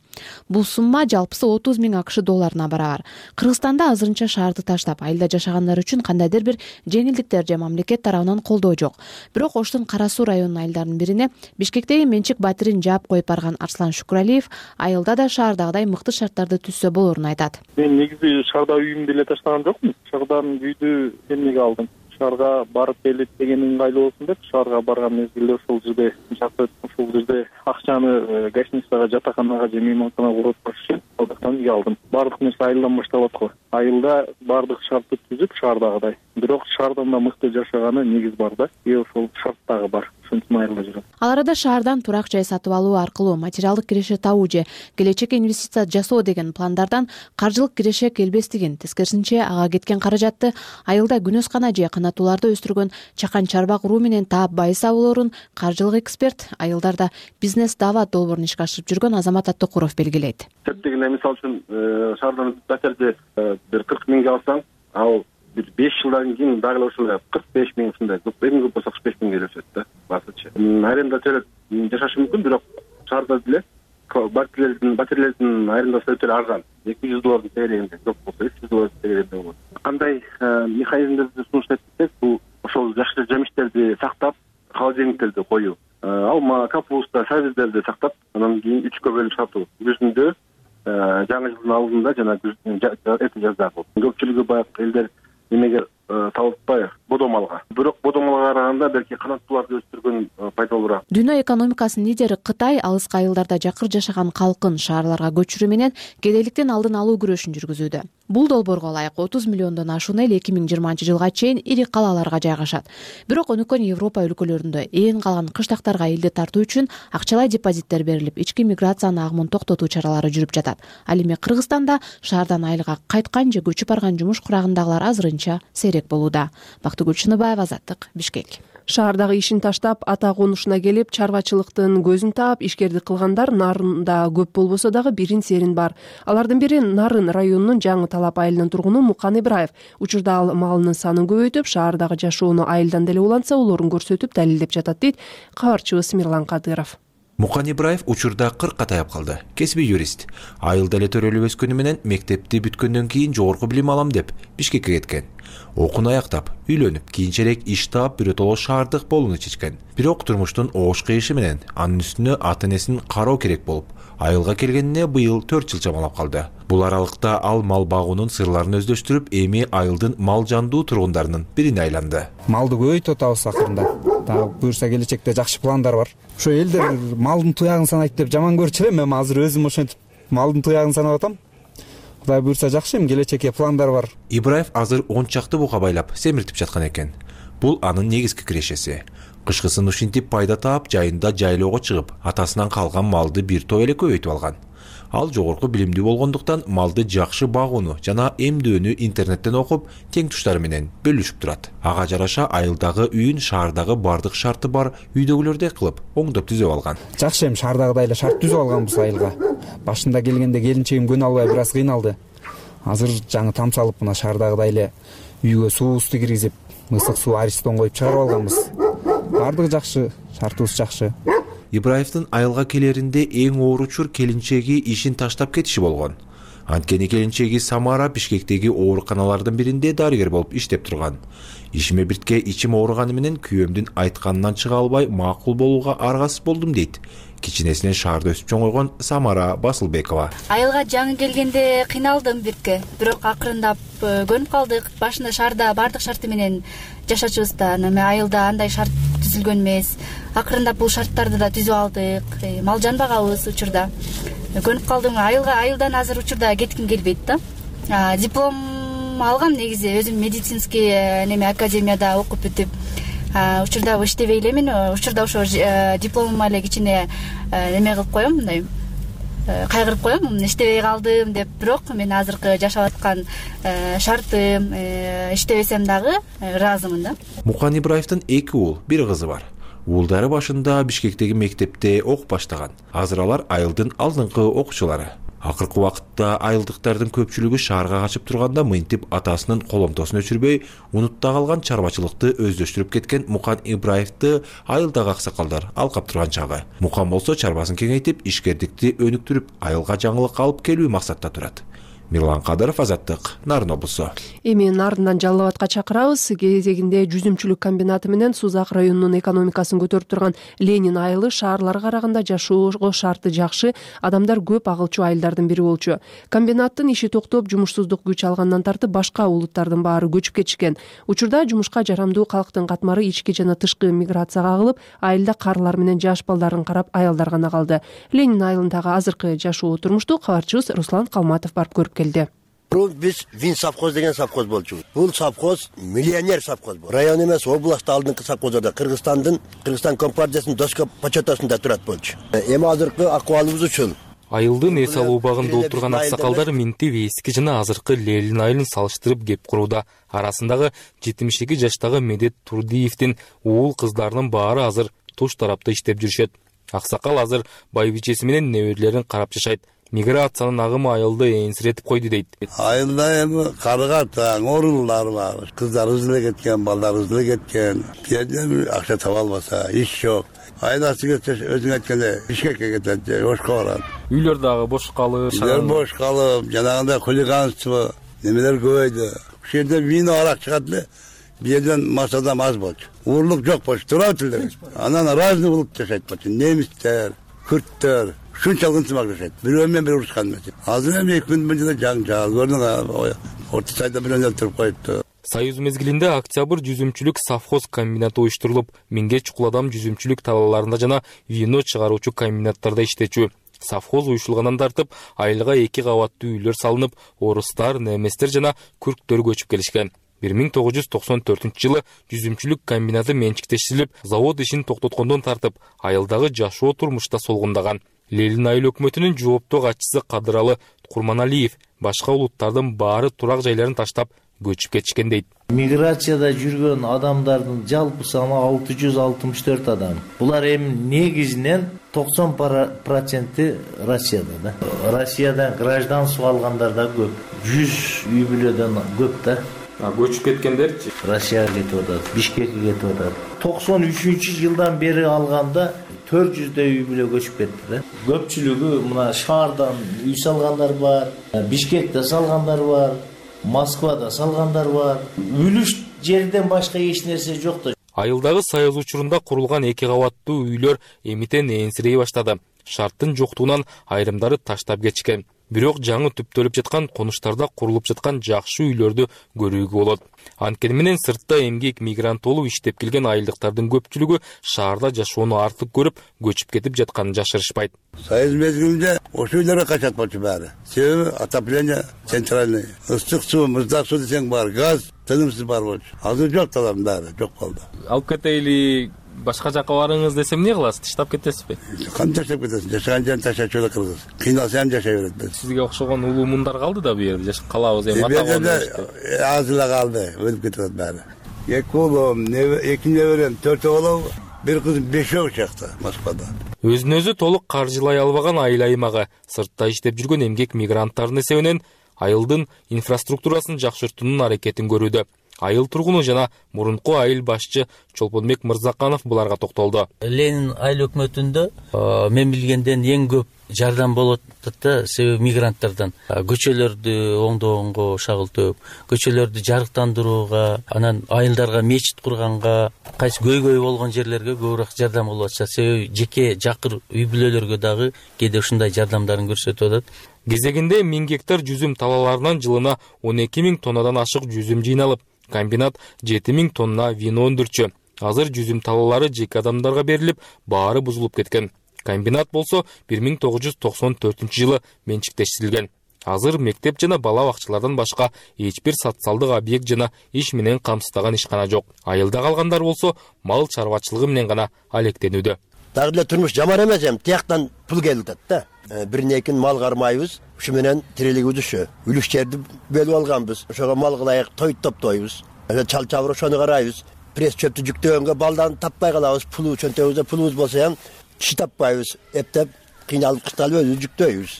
Бул сумма жалпысы отуз миң акш долларына барабар. Кыргызстанда азырынча шаарды таштап айылда жашагандар үчүн кандайдыр бир жеңилдиктер же мамлекет тарабынан колдоо жок. Бирок Оштун Кара Суу районунун айылдарынын бирине Бишкектеги менчик батирин жаап коюп барган Арслан Шукуралиев айылда да шаардагыдай мыкты шарттарды түзсө болорун айтат. Негизи шаарда үйүмдү эле таштаган жокмун. Шаардан үйдү эмнеге алдым? Шаарга барып келип деген ыңгайлуу болсун деп шаарга барган мезгилде ошол жерде жакып, ошол жерде акчаны гостиницага, жатаканага же мейманканага куруп коюш үчүн алдыктан үй алдым. Баардык нерсе айылдан башталат го. Айылда баардык шартты түзүп шаардагыдай. Бирок шаардан да мыкты жашаганы негиз бар да. И ошол шарт дагы бар. Ал арада шаардан турак жай сатып алуу аркылуу материалдык киреше табуу же келечекке инвестиция жасоо деген пландардан каржылык киреше келбестигин, тескерисинче ага кеткен каражатты айылда күнөскана же канаттууларды өстүргөн чакан чарба куруу менен таап байыса болорун каржылык эксперт, айылдарда бизнес даават долбоорун ишке ашырып жүргөн Азамат Аттыкуров белгилейт. Дегенде мисалы үчүн шаардан патерди бир кырк миңге алсаң, ал бир беш жылдан кийин дагы эле ушундай кырк беш миң ушундай көп, эң көп болсо кырк беш миңге өсөт да баасычы. Аренда төлөп жашашы мүмкүн, бирок шаарда деле батирлердин батирлердин арендасы өтө арзан. эки жүз доллардын тегерегинде, көп болсо үч жүз доллардын тегерегинде болот. Кандай механизмдерди сунуштайт десек, бул ошол жакшы жемиштерди сактап, холодильниктерди коюу, алма, капуста, сабиздерди сактап, анан кийин үчкө бөлүп сатуу. Күздө жаңы жылдын алдында жана эрте жазда болот. Көпчүлүгү баягы элдер эмеге табылып атпайбы, бодомалга. Бирок бодомалга караганда белки канаттууларды өстүргөн пайдалуураак. Дүйнө экономикасынын лидери Кытай алыскы айылдарда жакыр жашаган калкын шаарларга көчүрүү менен кедейликтин алдын алуу күрөшүн жүргүзүүдө. Бул долбоорго ылайык отуз миллиондон ашуун эл эки миң жыйырманчы жылга чейин ири калааларга жайгашат. Бирок өнүккөн Европа өлкөлөрүндө ээн калган кыштактарга элди тартуу үчүн акчалай депозиттер берилип, ички миграциянын агымын токтотуу чаралары жүрүп жатат. Ал эми Кыргызстанда шаардан айылга кайткан же көчүп барган жумуш курагындагылар азырынча сейрек болууда. Бактыгүл Чыныбаева, Азаттык, Бишкек. Шаардагы ишин таштап, ата конушуна келип, чарбачылыктын көзүн таап, ишкердик кылгандар нарында көп болбосо дагы бирин серин бар. Алардын бири Нарын районунун Жаңы Талап айылынын тургуну Мукан Ибраев. Учурда ал малынын санын көбөйтүп, шаардагы жашоону айылдан деле улантса болорун көрсөтүп далилдеп жатат дейт кабарчыбыз Мирлан Кадыров. Мукан Ибраев учурда кыркка таяп калды. Кесиби юрист. Айылда эле төрөлүп өскөнү менен мектепти бүткөндөн кийин жогорку билим алам деп Бишкекке кеткен. Окууну аяктап, үйлөнүп, кийинчерээк иш таап биротоло шаардык болууну чечкен. Бирок турмуштун оош кыйышы менен анын үстүнө ата-энесин кароо керек болуп, айылга келгенине быйыл төрт жыл чамалап калды. Бул аралыкта ал мал багуунун сырларын өздөштүрүп, эми айылдын мал жандуу тургундарынын бирине айланды. Малды көбөйтүп атабыз акырында. Дагы буюрса келечекте жакшы пландар бар. Ошо элдер малдын туягын санайт деп жаман көрчү элем, эми азыр өзүм ошентип малдын туягын санап атам. Кудай буюрса жакшы, эми келечекке пландар бар. Ибраев азыр он чакты бука байлап семиртип жаткан экен. Бул анын негизги кирешеси. Кышкысын ушинтип пайда таап, жайында жайлоого чыгып, атасынан калган малды бир топ эле көбөйтүп алган. Ал жогорку билимдүү болгондуктан малды жакшы багууну жана эмдөөнү интернеттен окуп, тең туштары менен бөлүшүп турат. Ага жараша айылдагы үйүн шаардагы бардык шарты бар үйдөгүлөрдөй кылып оңдоп түзөп алган. Жакшы, эми шаардагыдай эле шарт түзүп алганбыз айылга. Башында келгенде келинчегим көнө албай бир аз кыйналды. Азыр жаңы там салып, мына шаардагыдай эле үйгө суубузду киргизип, ысык суу аристон коюп чыгарып алганбыз. Бардыгы жакшы, шартыбыз жакшы. Ибраевдин айылга келеринде эң оор учур келинчеги ишин таштап кетиши болгон. Анткени келинчеги Самара Бишкектеги ооруканалардын биринде дарыгер болуп иштеп турган. Ишиме биртке ичим ооруганы менен күйөөмдүн айтканынан чыга албай макул болууга аргасыз болдум дейт. Кичинесинен шаарда өсүп чоңойгон Самара Басылбекова. Айылга жаңы келгенде кыйналдым бирке, бирок акырындап көнүп калдык. Башында шаарда бардык шарты менен жашачубуз да, эми айылда андай шарт түзүлгөн эмес. Акырындап бул шарттарды да түзүп алдык. Мал жанбагабыз учурда. Көнүп калдым. Айылга айылдан азыр учурда кетким келбейт да. Диплом алгам негизи, өзүм медицинский неме академияда окуп бүтүп, учурда иштебей элемин. Учурда ошо дипломума эле кичине неме кылып коем, мындай кайгырып коем, иштебей калдым деп. Бирок мен азыркы жашап аткан шартым, иштебесем дагы ыраазымын да. Мукан Ибраевдин эки уул, бир кызы бар. Уулдары башында Бишкектеги мектепте окуп баштаган. Азыр алар айылдын алдыңкы окуучулары. Акыркы убакытта айылдыктардын көпчүлүгү шаарга качып турганда мынтип атасынын коломтосун өчүрбөй, унутта калган чарбачылыкты өздөштүрүп кеткен Мукан Ибраевди айылдагы аксакалдар алкап турган чагы. Мукан болсо чарбасын кеңейтип, ишкердикти өнүктүрүп, айылга жаңылык алып келүү максатта турат. Мирлан Кадыров, Азаттык, Нарын облусу. Эми Нарындан Жалал Абадка чакырабыз. Кезегинде жүзүмчүлүк комбинаты менен Сузак районунун экономикасын көтөрүп турган Ленин айылы шаарларга караганда жашоого шарты жакшы, адамдар көп агылчу айылдардын бири болчу. Комбинаттын иши токтоп, жумушсуздук күч алгандан тартып башка улуттардын баары көчүп кетишкен. Учурда жумушка жарамдуу калктын катмары ички жана тышкы миграцияга агылып, айылда карылар менен жаш балдарын карап аялдар гана калды. Ленин айылындагы азыркы жашоо турмушту кабарчыбыз Руслан Калматов барып көрүп келди. Биз Вин совхоз деген совхоз болчубуз. Бул совхоз миллионер совхоз бул. Район эмес, областта алдыңкы совхозда Кыргызстандын, Кыргызстан компартиясынын доска почетасында турат болчу. Эми азыркы акыбалыбыз ушул. Айылдын эс алуу убагында отурган аксакалдар минтип эски жана азыркы Ленин айылын салыштырып кеп курууда. Арасындагы жетимиш эки жаштагы Медет Турдиевдин уул кыздарынын баары азыр туш тарапта иштеп жүрүшөт. Аксакал азыр байбичеси менен неберелерин карап жашайт. Миграциянын агымы айылды энсиретип койду дейт. Айылда эми карыга таң оорулар бар. Кыздарыбыз деле кеткен, балдарыбыз деле кеткен. Жерден акча таба албаса, иш жок. Айдасы кетсе өзүң айткандай Бишкекке кетет, ошко барат. Үйлөр дагы бош калып, үйлөр бош калып, жанагындай хулиганство немелер көбөйдү. Ушул жерде вино арак чыгат эле. Бу жерден масадан аз болчу. Уурлук жок болчу, турат эле. Анан разный болуп жашайт болчу. Немистер, күрттөр, ушунчалык ынтымак жашайт. Бирөө менен бири урушкан эмес. Азыр эми эки күн мынча жаң жаал көрдүң, орто сайда бирөө өлтүрүп коюпту. Союз мезгилинде октябрь жүзүмчүлүк совхоз комбинаты уюштурулуп, миңге чукул адам жүзүмчүлүк талааларында жана вино чыгаруучу комбинаттарда иштечү. Совхоз уюшулгандан тартып, айылга эки кабаттуу үйлөр салынып, орустар, неместер жана күрктөр көчүп келишкен. бир миң тогуз жүз токсон төртүнчү жылы жүзүмчүлүк комбинаты менчиктештирилип, завод ишин токтоткондон тартып, айылдагы жашоо турмушта солгундаган. Ленин айыл өкмөтүнүн жооптуу катчысы Кадыралы Курманалиев башка улуттардын баары турак жайларын таштап көчүп кетишкен дейт. Миграцияда жүргөн адамдардын жалпы саны алты жүз алтымыш төрт адам. Булар эми негизинен токсон проценти Россияда да. Россиядан гражданство алгандар да көп. жүз үй бүлөдөн көп да. А көчүп кеткендерчи? Россияга кетип атат, Бишкекке кетип атат. токсон үчүнчү жылдан бери алганда төрт жүздөй үй бүлө көчүп кетти да. Көпчүлүгү мына шаардан үй салгандар бар, Бишкекте салгандар бар, Москвада салгандар бар. Үлүш жерден башка эч нерсе жок да. Айылдагы Союз учурунда курулган эки кабаттуу үйлөр эмитен энсирей баштады. Шарттын жоктугунан айрымдары таштап кетишкен. Бирок жаңы түптөлүп жаткан конуштарда курулуп жаткан жакшы үйлөрдү көрүүгө болот. Анткени менен сыртта эмгек мигрант болуп иштеп келген айылдыктардын көпчүлүгү шаарда жашоону артык көрүп, көчүп кетип жатканын жашырышпайт. Союз мезгилинде ошол үйлөргө качат болчу баары. Себеби отопление центральный, ысык суу, муздак суу десең бар, газ тынымсыз бар болчу. Азыр жок талардын баары, жок болду. Алып кетейли, башка жака барыңыз десем эмне кыласыз? Таштап кетесизби? Кантип таштап кетесиң? Жашаган жерин таштачу эле кыргыз. Кыйналса ham жашай берет. Сизге окшогон улуу мундар калды да бу жерде. Жашап калабыз эми ата-бабалар. Аз эле калды, өлүп кетет баары. Эки уулум, эки неберем, төртөө болобу? Бир кызым бешөө чакта Москвада. Өзүн өзү толук каржылай албаган айыл аймагы, сыртта иштеп жүргөн эмгек мигранттардын эсебинен айылдын инфраструктурасын жакшыртуунун аракетин көрүүдө. Айыл тургуну жана мурунку айыл башчы Чолпонбек Мырзаканов буларга токтолду. Ленин айыл өкмөтүндө мен билгенден эң көп жардам болот да, себеби мигранттардан. Көчөлөрдү оңдогонго шагылтып, көчөлөрдү жарыктандырууга, анан айылдарга мечит курганга, кайсы көйгөй болгон жерлерге көбүрөөк жардам болуп атышат. Себеби жеке жакыр үй бүлөлөргө дагы кээде ушундай жардамдарын көрсөтүп атат. Кезегинде миң гектар жүзүм талаларынан жылына он эки миң тоннадан ашык жүзүм жыйналып, комбинат жети миң тонна вино өндүрчү. Азыр жүзүм талалары жеке адамдарга берилип, баары бузулуп кеткен. Комбинат болсо бир миң тогуз жүз токсон төртүнчү жылы менчиктештирилген. Азыр мектеп жана бала бакчалардан башка эч бир социалдык объект жана иш менен камсыздаган ишкана жок. Айылда калгандар болсо мал чарбачылыгы менен гана алектенүүдө. Дагы эле турмуш жаман эмес, эми тияктан пул келип атат да. Бирин экин мал кармайбыз, ушу менен тирилигибиз ушу. Үлүш жерди бөлүп алганбыз. Ошого мал кылайык, той топтойбуз. Чал чабыр ошону карайбыз. Пресс чөптү жүктөгөнгө балдарын таппай калабыз. Пулу чөнтөгүбүздө пулубуз болсо ham киши таппайбыз. Эптеп кыйналып кышталып өзүбүз жүктөйбүз.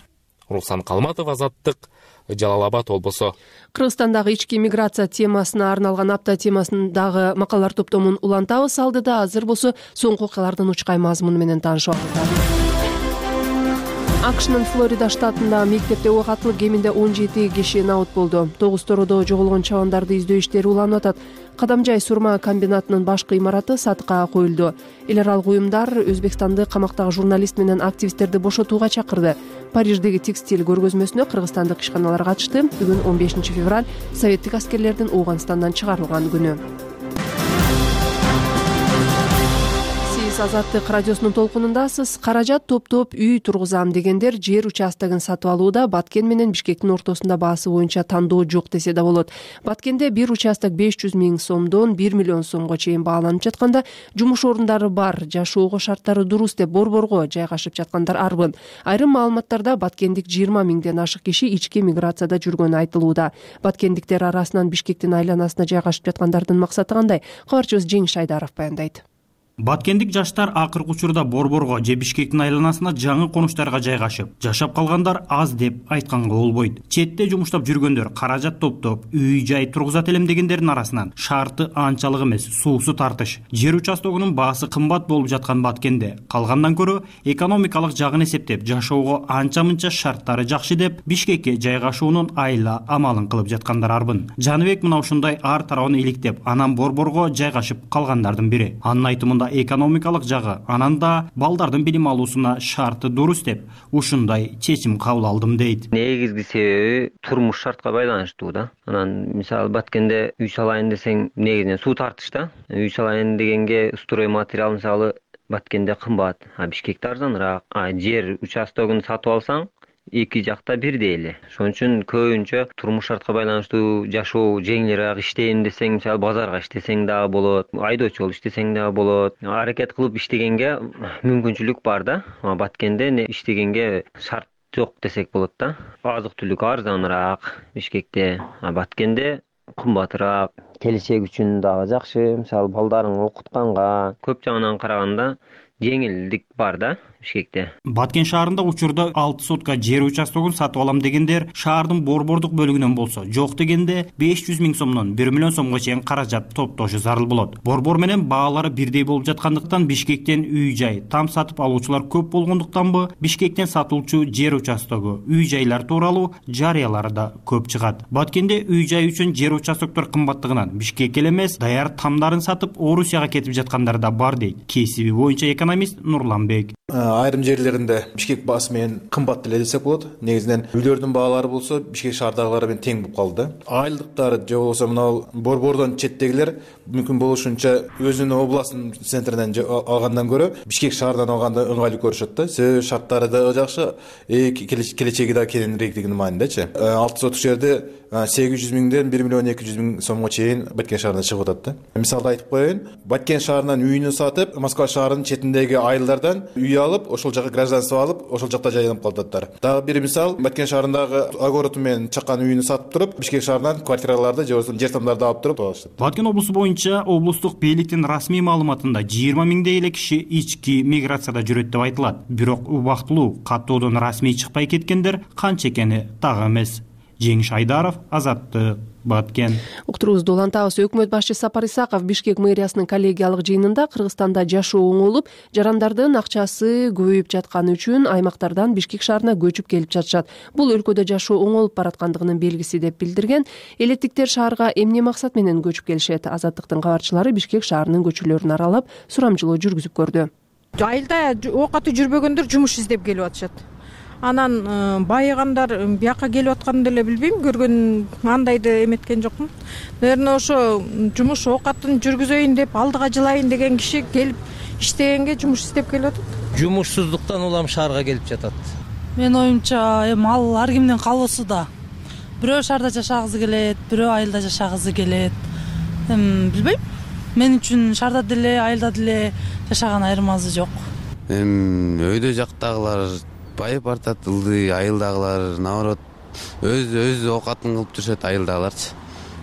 Руслан Калматов, Азаттык, Жалал Абад облусу. Кыргызстандагы ички миграция темасына арналган апта темасындагы макалалар топтомун улантабыз. Алдыда азыр болсо соңку окуялардын учкай мазмуну менен таанышып алабыз. акшнын Флорида штатында мектепте ок атылып кеминде он жети киши набыт болду. Тогуз тороодо жоголгон чабандарды издөө иштери уланып атат. Кадамжай сурма комбинатынын башкы имараты сатыкка коюлду. Эл аралык уюмдар Өзбекстанды камактагы журналист менен активисттерди бошотууга чакырды. Париждеги текстиль көргөзмөсүнө кыргызстандык ишканалар катышты. Бүгүн он бешинчи февраль советтик аскерлердин Ооганстандан чыгарылган күнү. Азаттык радиосунун толкунундасыз. Каражат топтоп үй тургузам дегендер жер участогун сатып алууда Баткен менен Бишкектин ортосунда баасы боюнча тандоо жок десе да болот. Баткенде бир участок беш жүз миң сомдон бир миллион сомго чейин бааланып жатканда, жумуш орундары бар, жашоого шарттары дурус деп борборго жайгашып жаткандар арбын. Айрым маалыматтарда Баткендик жыйырма миңден ашык киши ички миграцияда жүргөнү айтылууда. Баткендиктер арасынан Бишкектин айланасына жайгашып жаткандардын максаты кандай? Кабарчыбыз Жеңиш Айдаров баяндайт. Баткендик жаштар акыркы учурда борборго же Бишкектин айланасына жаңы конуштарга жайгашып, жашап калгандар аз деп айтканга болбойт. Четте жумуштап жүргөндөр каражат топтоп, үй-жай тургузат элем дегендердин арасынан шарты анчалык эмес, суусу тартыш. Жер участогунун баасы кымбат болуп жаткан Баткенде калгандан көрө экономикалык жагын эсептеп, жашоого анча-мынча шарттары жакшы деп Бишкекке жайгашуунун айла амалын кылып жаткандар арбын. Жаныбек мына ушундай ар тарабын иликтеп, анан борборго жайгашып калгандардын бири. Анын айтымында экономикалык жагы, анан да балдардын билим алуусуна шарты дурус деп ушундай чечим кабыл алдым дейт. Негизги себеби турмуш шартка байланыштуу да. Анан мисалы Баткенде үй салайын десең негизинен суу тартыш да. Үй салайын дегенге строй материал мисалы Баткенде кымбат, а Бишкекте арзаныраак. А жер участогун сатып алсаң эки жакта бирдей эле. Ошон үчүн көбүнчө турмуш шартка байланыштуу жашоо жеңилирээк, иштейм десең, мисалы базарга иштесең дагы болот, айдоочу болуп иштесең дагы болот. Аракет кылып иштегенге мүмкүнчүлүк бар да. Баткенде иштегенге шарт жок десек болот да. Азык-түлүк арзаныраак Бишкекте, а Баткенде кымбатыраак. Келечек үчүн дагы жакшы, мисалы балдарыңды окутканга көп жагынан караганда жеңилдик бар да Бишкекте. Баткен шаарында учурда алты сотка жер участогун сатып алам дегендер шаардын борбордук бөлүгүнөн болсо, жок дегенде беш жүз миң сомдон бир миллион сомго чейин каражат топтошу зарыл болот. Борбор менен баалары бирдей болуп жаткандыктан Бишкектен үй-жай, там сатып алуучулар көп болгондуктанбы, Бишкектен сатылчу жер участогу, үй-жайлар тууралуу жарыялары да көп чыгат. Баткенде үй-жай үчүн жер участоктор кымбаттыгынан Бишкекке эле эмес, даяр тамдарын сатып Орусияга кетип жаткандар да бар дейт кесиби боюнча экономист Нурланбек. Айрым жерлеринде Бишкек баасы менен кымбат эле десек болот. Негизинен үйлөрдүн баалары болсо Бишкек шаардагылары менен тең болуп калды. Айлыктары же болбосо мына борбордон четтегилер мүмкүн болушунча өзүнүн областын центринен алгандан көрө Бишкек шаардан алганды ыңгайлуу көрүшөт да. Себеби шарттары да жакшы, келечеги да кененирээктигинин маанидечи. алты сотук жерде сегиз жүз миңден бир миллион эки жүз миң сомго чейин Баткен шаарында чыгып атат да. Мисалда айтып коеюн, Баткен шаарынан үйүнү сатып, Москва шаарынын четиндеги айылдардан үй алып, ошол жака гражданство алып, ошол жакта жайланып калататтар. Дагы бир мисал, Баткен шаарындагы огород менен чаккан үйүнү сатып туруп, Бишкек шаарынан квартираларды же болбосо жер тамдарды алып туруп алышат. Баткен облусу боюнча облустук бийликтин расмий маалыматында жыйырма миңдей эле киши ички миграцияда жүрөт деп айтылат. Бирок убактылуу каттоодон расмий чыкпай кеткендер канча экени так эмес. Жеңиш Айдаров, Азаттык, Баткен. Уктуруубузду улантабыз. Өкмөт башчысы Сапар Исаков Бишкек мэриясынын коллегиялык жыйынында Кыргызстанда жашоо оңолуп, жарандардын акчасы көбөйүп жатканы үчүн аймактардан Бишкек шаарына көчүп келип жатышат. Бул өлкөдө жашоо оңолуп бараткандыгынын белгиси деп билдирген. Элеттиктер шаарга эмне максат менен көчүп келишет? Азаттыктын кабарчылары Бишкек шаарынын көчөлөрүн аралап, сурамжылоо жүргүзүп көрдү. Айылда оокаты жүрбөгөндөр жумуш издеп келип атышат. Анан байыгандар бияка келип атканын деле билбейм, көргөн андайды эметкен жокмун. Наверное, ошо жумуш оокатын жүргүзөйүн деп, алдыга жылайын деген киши келип иштегенге жумуш издеп келип атат. Жумушсуздуктан улам шаарга келип жатат. Мен оюмча, эми ал ар кимдин каалоосу да. Бирөө шаарда жашагысы келет, бирөө айылда жашагысы келет. Эми билбейм. Мен үчүн шаарда деле, айылда деле жашаган айырмасы жок. Эми өйдө жактагылар байып бартат, ылдый, айылдагылар наоборот өз өз оокатын кылып жүрүшөт, айылдагыларчы.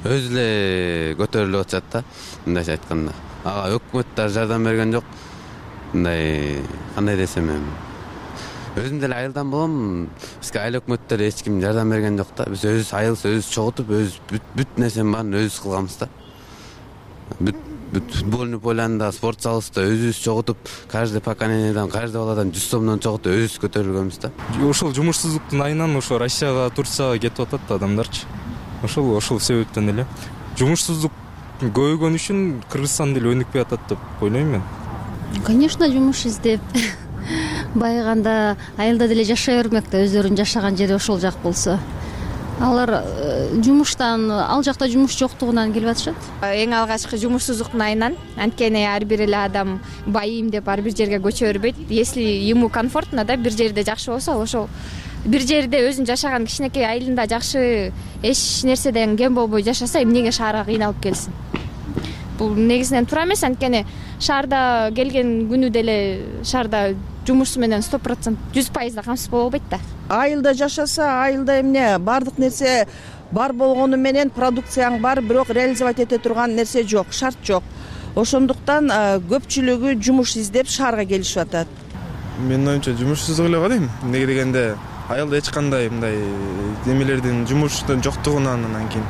Өз эле көтөрүлүп атышат да, мындайча айтканда. Ага өкмөт да жардам берген жок. Мындай, кандай десем эми. Өзүм деле айылдан болом, бизге айыл өкмөттөр эч ким жардам берген жок да. Биз өзүбүз айылыбыз өзүбүз чогултуп, өз бүт нерсенин баарын өзүбүз кылганбыз да. Бүт футбольный полянда, спорт залыбызда өзүбүз чогултуп, каждый поколенияден, каждый баладан жүз сомдон чогултуп өзүбүз көтөрүлгөнбүз да. Ошол жумушсуздуктун айынан ошо Россияга, Турцияга кетип атат адамдарчы. Ошол ошол себептен эле. Жумушсуздук көбөйгөн үчүн Кыргызстан деле өнүкпөй атат деп ойлойм мен. Конечно, жумуш издеп байыганда айылда деле жашай бермек да, өздөрүнүн жашаган жери ошол жак болсо. Алар жумуштан, ал жакта жумуш жоктугунан келип атышат. Эң алгачкы жумушсуздуктун айынан, анткени ар бир эле адам байыйм деп ар бир жерге көчө бербейт. Если ему комфортно да, бир жерде жакшы болсо, ошол бир жерде өзүнүн жашаган кичинекей айылында жакшы эч нерседен кем болбой жашаса, эмнеге шаарга кыйналып келсин? Бул негизинен туура эмес, анткени шаарда келген күнү деле шаарда жумуш менен сто процент жүз пайыз камсыз боло албайт да. Айылда жашаса, айылда эмне бардык нерсе бар болгону менен продукцияң бар, бирок реализовать эте турган нерсе жок, шарт жок. Ошондуктан көпчүлүгү жумуш издеп шаарга келишип атат. Менин оюмча жумушсуздук эле го дейм. Эмнеге дегенде айылда эч кандай мындай немелердин жумуштун жоктугунан, анан кийин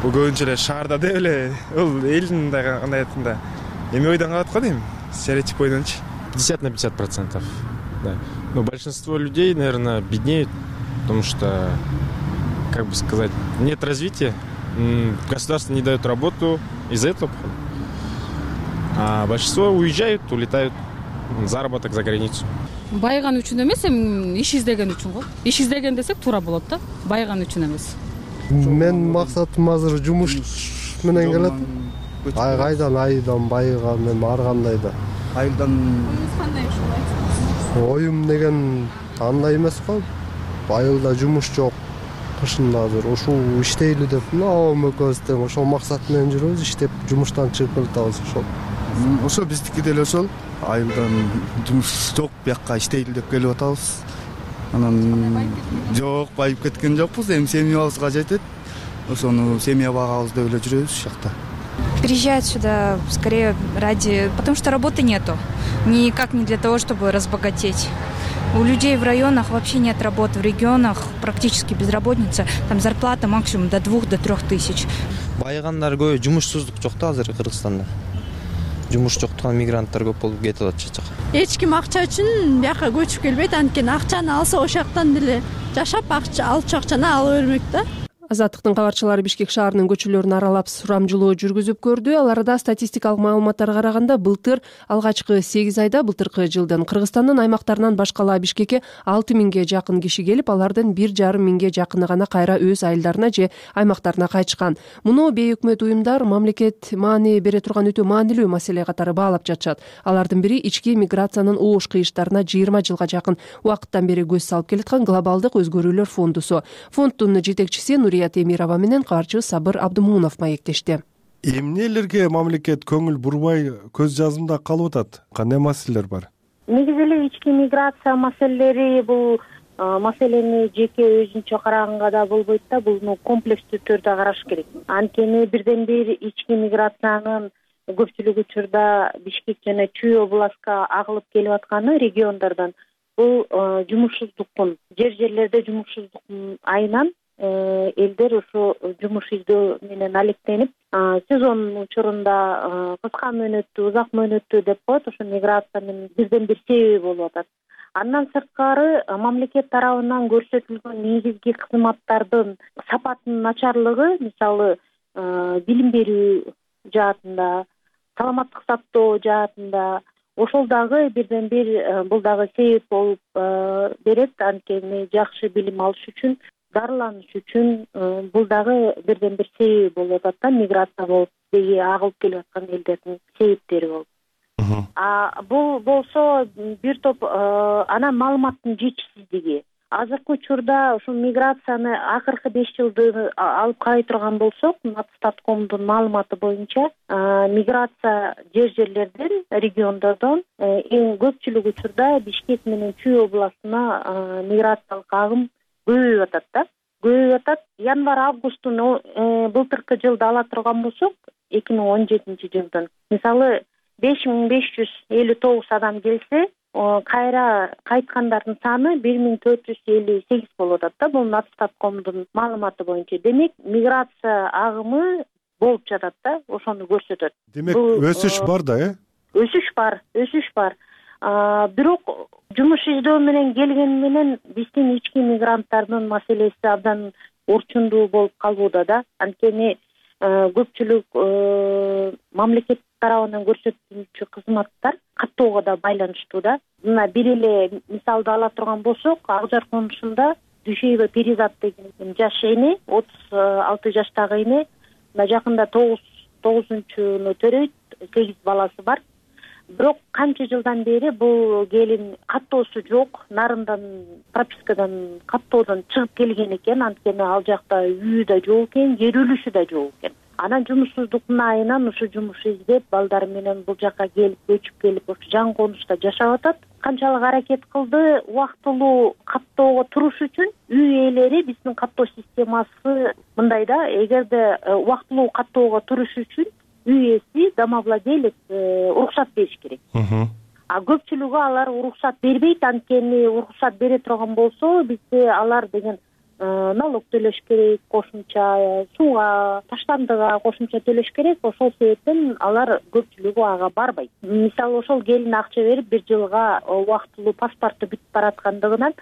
бул көбүнчө эле шаарда деп эле бул элдин кандай айтканда эме ойдон калат го дейм, стереотип ойдончу. пятьдесят на пятьдесят процентов. Да. Но большинство людей, наверное, беднеют, потому что, как бы сказать, нет развития, государство не дает работу из-за этого. А большинство уезжают, улетают, заработок за границу. Байыган үчүн эмес, эми иш издеген үчүн го. Иш издеген десек туура болот да, байыган үчүн эмес. Мен максатым азыр жумуш менен келет. Айгайдан айдан байыган эми ар кандай да. Айылдан оюм деген андай эмес го. Айылда жумуш жок. Кышында азыр ушул иштейли деп, мына экөөбүз тең ошол максат менен жүрөбүз, иштеп жумуштан чыгып келатабыз ошол. Ошо биздики деле ошол. Айылдан жумуш жок, бияка иштейли деп келип атабыз. Анан жок, байып кеткен жокпуз, эми семьябызга жетет. Ошону семья багабыз деп эле жүрөбүз ушул жакта. приезжают сюда скорее ради... Потому что работы нету. Никак не для того, чтобы разбогатеть. У людей в районах вообще нет работы. В регионах практически безработица. Там зарплата максимум до двух, до трех тысяч. Байыгандар көбү жумушсуздук жок да азыр Кыргызстанда. Жумуш жоктуган мигранттар көп болуп кетип атышат жака. Эч ким акча үчүн бияка көчүп келбейт, анткени акчаны алса ошол жактан деле жашап акча алчу акчаны ала бермек да. Азаттыктын кабарчылары Бишкек шаарынын көчөлөрүн аралап сурамжылоо жүргүзүп көрдү. Аларда статистикалык маалыматтарга караганда былтыр алгачкы сегиз айда былтыркы жылдын Кыргызстандын аймактарынан башкала Бишкекке алты миңге жакын киши келип, алардын бир жарым миңге жакыны гана кайра өз айылдарына же аймактарына кайтышкан. Муну бейөкмөт уюмдар мамлекет маани бере турган өтө маанилүү маселе катары баалап жатышат. Алардын бири ички миграциянын оош кыйыштарына жыйырма жылга жакын убакыттан бери көз салып келаткан глобалдык өзгөрүүлөр фондусу. Фонддун жетекчиси Нурия Темирова менен кабарчы Сабыр Абдымунов маектешти. Эмнелерге мамлекет көңүл бурбай көз жазымда калып атат? Кандай маселелер бар? Негизи эле ички миграция маселелери бул маселени жеке өзүнчө караганга да болбойт да, буну комплекстүү түрдө караш керек. Анткени бирден бир ички миграциянын көпчүлүк учурда Бишкек жана Чүй областка агылып келип атканы региондордон бул жумушсуздуктун, жер жерлерде жумушсуздуктун айынан элдер ошо жумуш издөө менен алектенип, сезон учурунда кыска мөөнөттүү, узак мөөнөттүү деп коет, ошо миграциянын бирден бир себеби болуп атат. Андан сырткары мамлекет тарабынан көрсөтүлгөн негизги кызматтардын сапатынын начарлыгы, мисалы билим берүү жаатында, саламаттык сактоо жаатында, ошол дагы бирден бир бул дагы себеп болуп берет. Анткени жакшы билим алыш үчүн, дарыланыш үчүн бул дагы бирден бир себеби болуп атат да, миграция болуп деги агылып келип аткан элдердин себептери болуп. А бул болсо бир топ анан маалыматтын жетишсиздиги. Азыркы учурда ушул миграцияны акыркы беш жылды алып карай турган болсок, Натстаткомдун маалыматы боюнча миграция жер жерлерден, региондордон эң көпчүлүк учурда Бишкек менен Чүй областына миграциялык агым көбөйүп атат да. Көбөйүп атат. Январь-августтун былтыркы жылды ала турган болсок, эки миң он жетинчи жылдын, мисалы беш миң беш жүз элүү тогуз адам келсе, кайра кайткандардын саны бир миң төрт жүз элүү сегиз болуп атат да. Бул Натстаткомдун маалыматы боюнча. Демек, миграция агымы болуп жатат да, ошону көрсөтөт. Демек, өсүш бар да, э? Өсүш бар, өсүш бар. Бирок жумуш издөө менен келгени менен биздин ички мигранттардын маселеси абдан орчундуу болуп калууда да. Анткени көпчүлүк мамлекет тарабынан көрсөтүлүүчү кызматтар каттоого да байланыштуу да. Мына бир эле мисалды ала турган болсок, Ак Жар конушунда Дүйшөйбө Перизат деген жаш эне, отуз алты жаштагы эне, мына жакында тогузунчуну төрөйт, сегиз баласы бар. Бирок канча жылдан бери бул келин каттоосу жок, нарындан, пропискадан, каттоодон чыгып келген экен. Анткени ал жакта үйү да жок экен, жер үлүшү да жок экен. Анан жумушсуздуктун айынан ушу жумуш издеп, балдары менен бул жакка келип, көчүп келип, ошо жаңы конушта жашап атат. Канчалык аракет кылды, убактылуу каттоого туруш үчүн үй ээлери, биздин каттоо системасы мындай да, эгерде убактылуу каттоого туруш үчүн үй ээси, домовладелец уруксат бериш керек. А көпчүлүгү алар уруксат бербейт. Анткени уруксат бере турган болсо, бизде алар деген налог төлөш керек, кошумча сууга, таштандыга кошумча төлөш керек. Ошол себептен алар көпчүлүгү ага барбайт. Мисалы, ошол келин акча берип бир жылга убактылуу паспорту бүтүп бараткандыгынан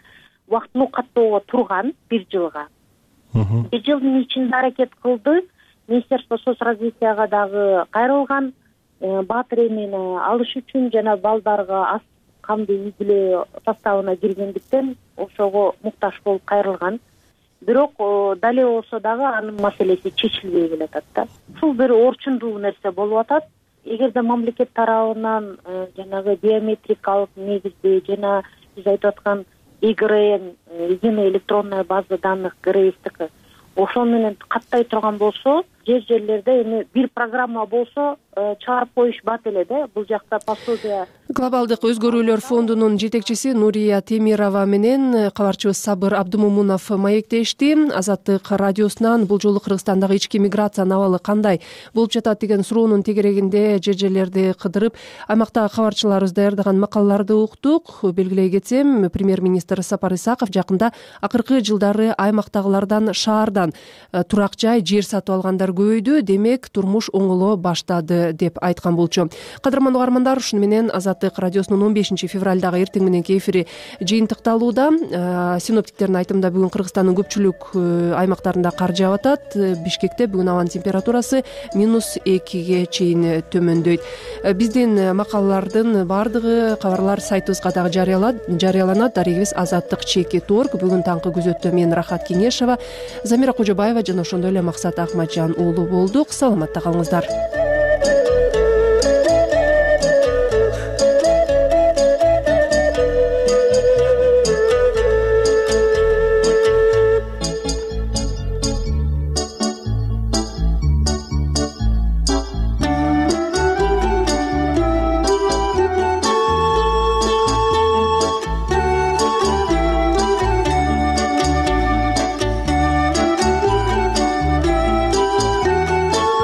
убактылуу каттоого турган бир жылга. Бир жылдын ичинде аракет кылды. Министерство соцразвитияга дагы кайрылган, баатыр эмени алыш үчүн жана балдарга аз камдуу үй бүлө составына киргендиктен ошого муктаж болуп кайрылган. Бирок дале болсо дагы анын маселеси чечилбей келатат да. Ушул бир орчундуу нерсе болуп атат. Эгерде мамлекет тарабынан жанагы биометрикалык негизде жана биз айтып аткан ИГРН, единая электронная база данных ГРСтики, ошол менен каттай турган болсо, жер жерлерде эми бир программа болсо чыгарып коюшпат эле да, бул жакта пособие. Глобалдык өзгөрүүлөр фондунун жетекчиси Нурия Темирова менен кабарчыбыз Сабыр Абдумумунов маектешти. Азаттык радиосунан бул жолу Кыргызстандагы ички миграциянын абалы кандай болуп жатат деген суроонун тегерегинде жер жерлерди кыдырып, аймактагы кабарчыларыбыз даярдаган макалаларды уктук. Белгилей кетсем, премьер-министр Сапар Исаков жакында акыркы жылдары аймактагылардан шаардан турак жай, жер сатып алгандар көбөйдү, демек турмуш оңоло баштады деп айткан болчу. Кадырман угармандар, ушуну менен Азаттык радиосунун он бешинчи февралдагы эртең мененки эфири жыйынтыкталууда. Синоптиктердин айтымында бүгүн Кыргызстандын көпчүлүк аймактарында кар жаап атат. Бишкекте бүгүн абанын температурасы минус экиге чейин төмөндөйт. Биздин макалалардын баардыгы, кабарлар сайтыбызга дагы жарыяланат. Дарегибиз азаттык чеки точка орг. Бүгүн таңкы күзөттө мен Рахат Кеңешова, Замира Кожобаева жана ошондой эле Максат Акматжан уулу болдук. Саламатта калыңыздар.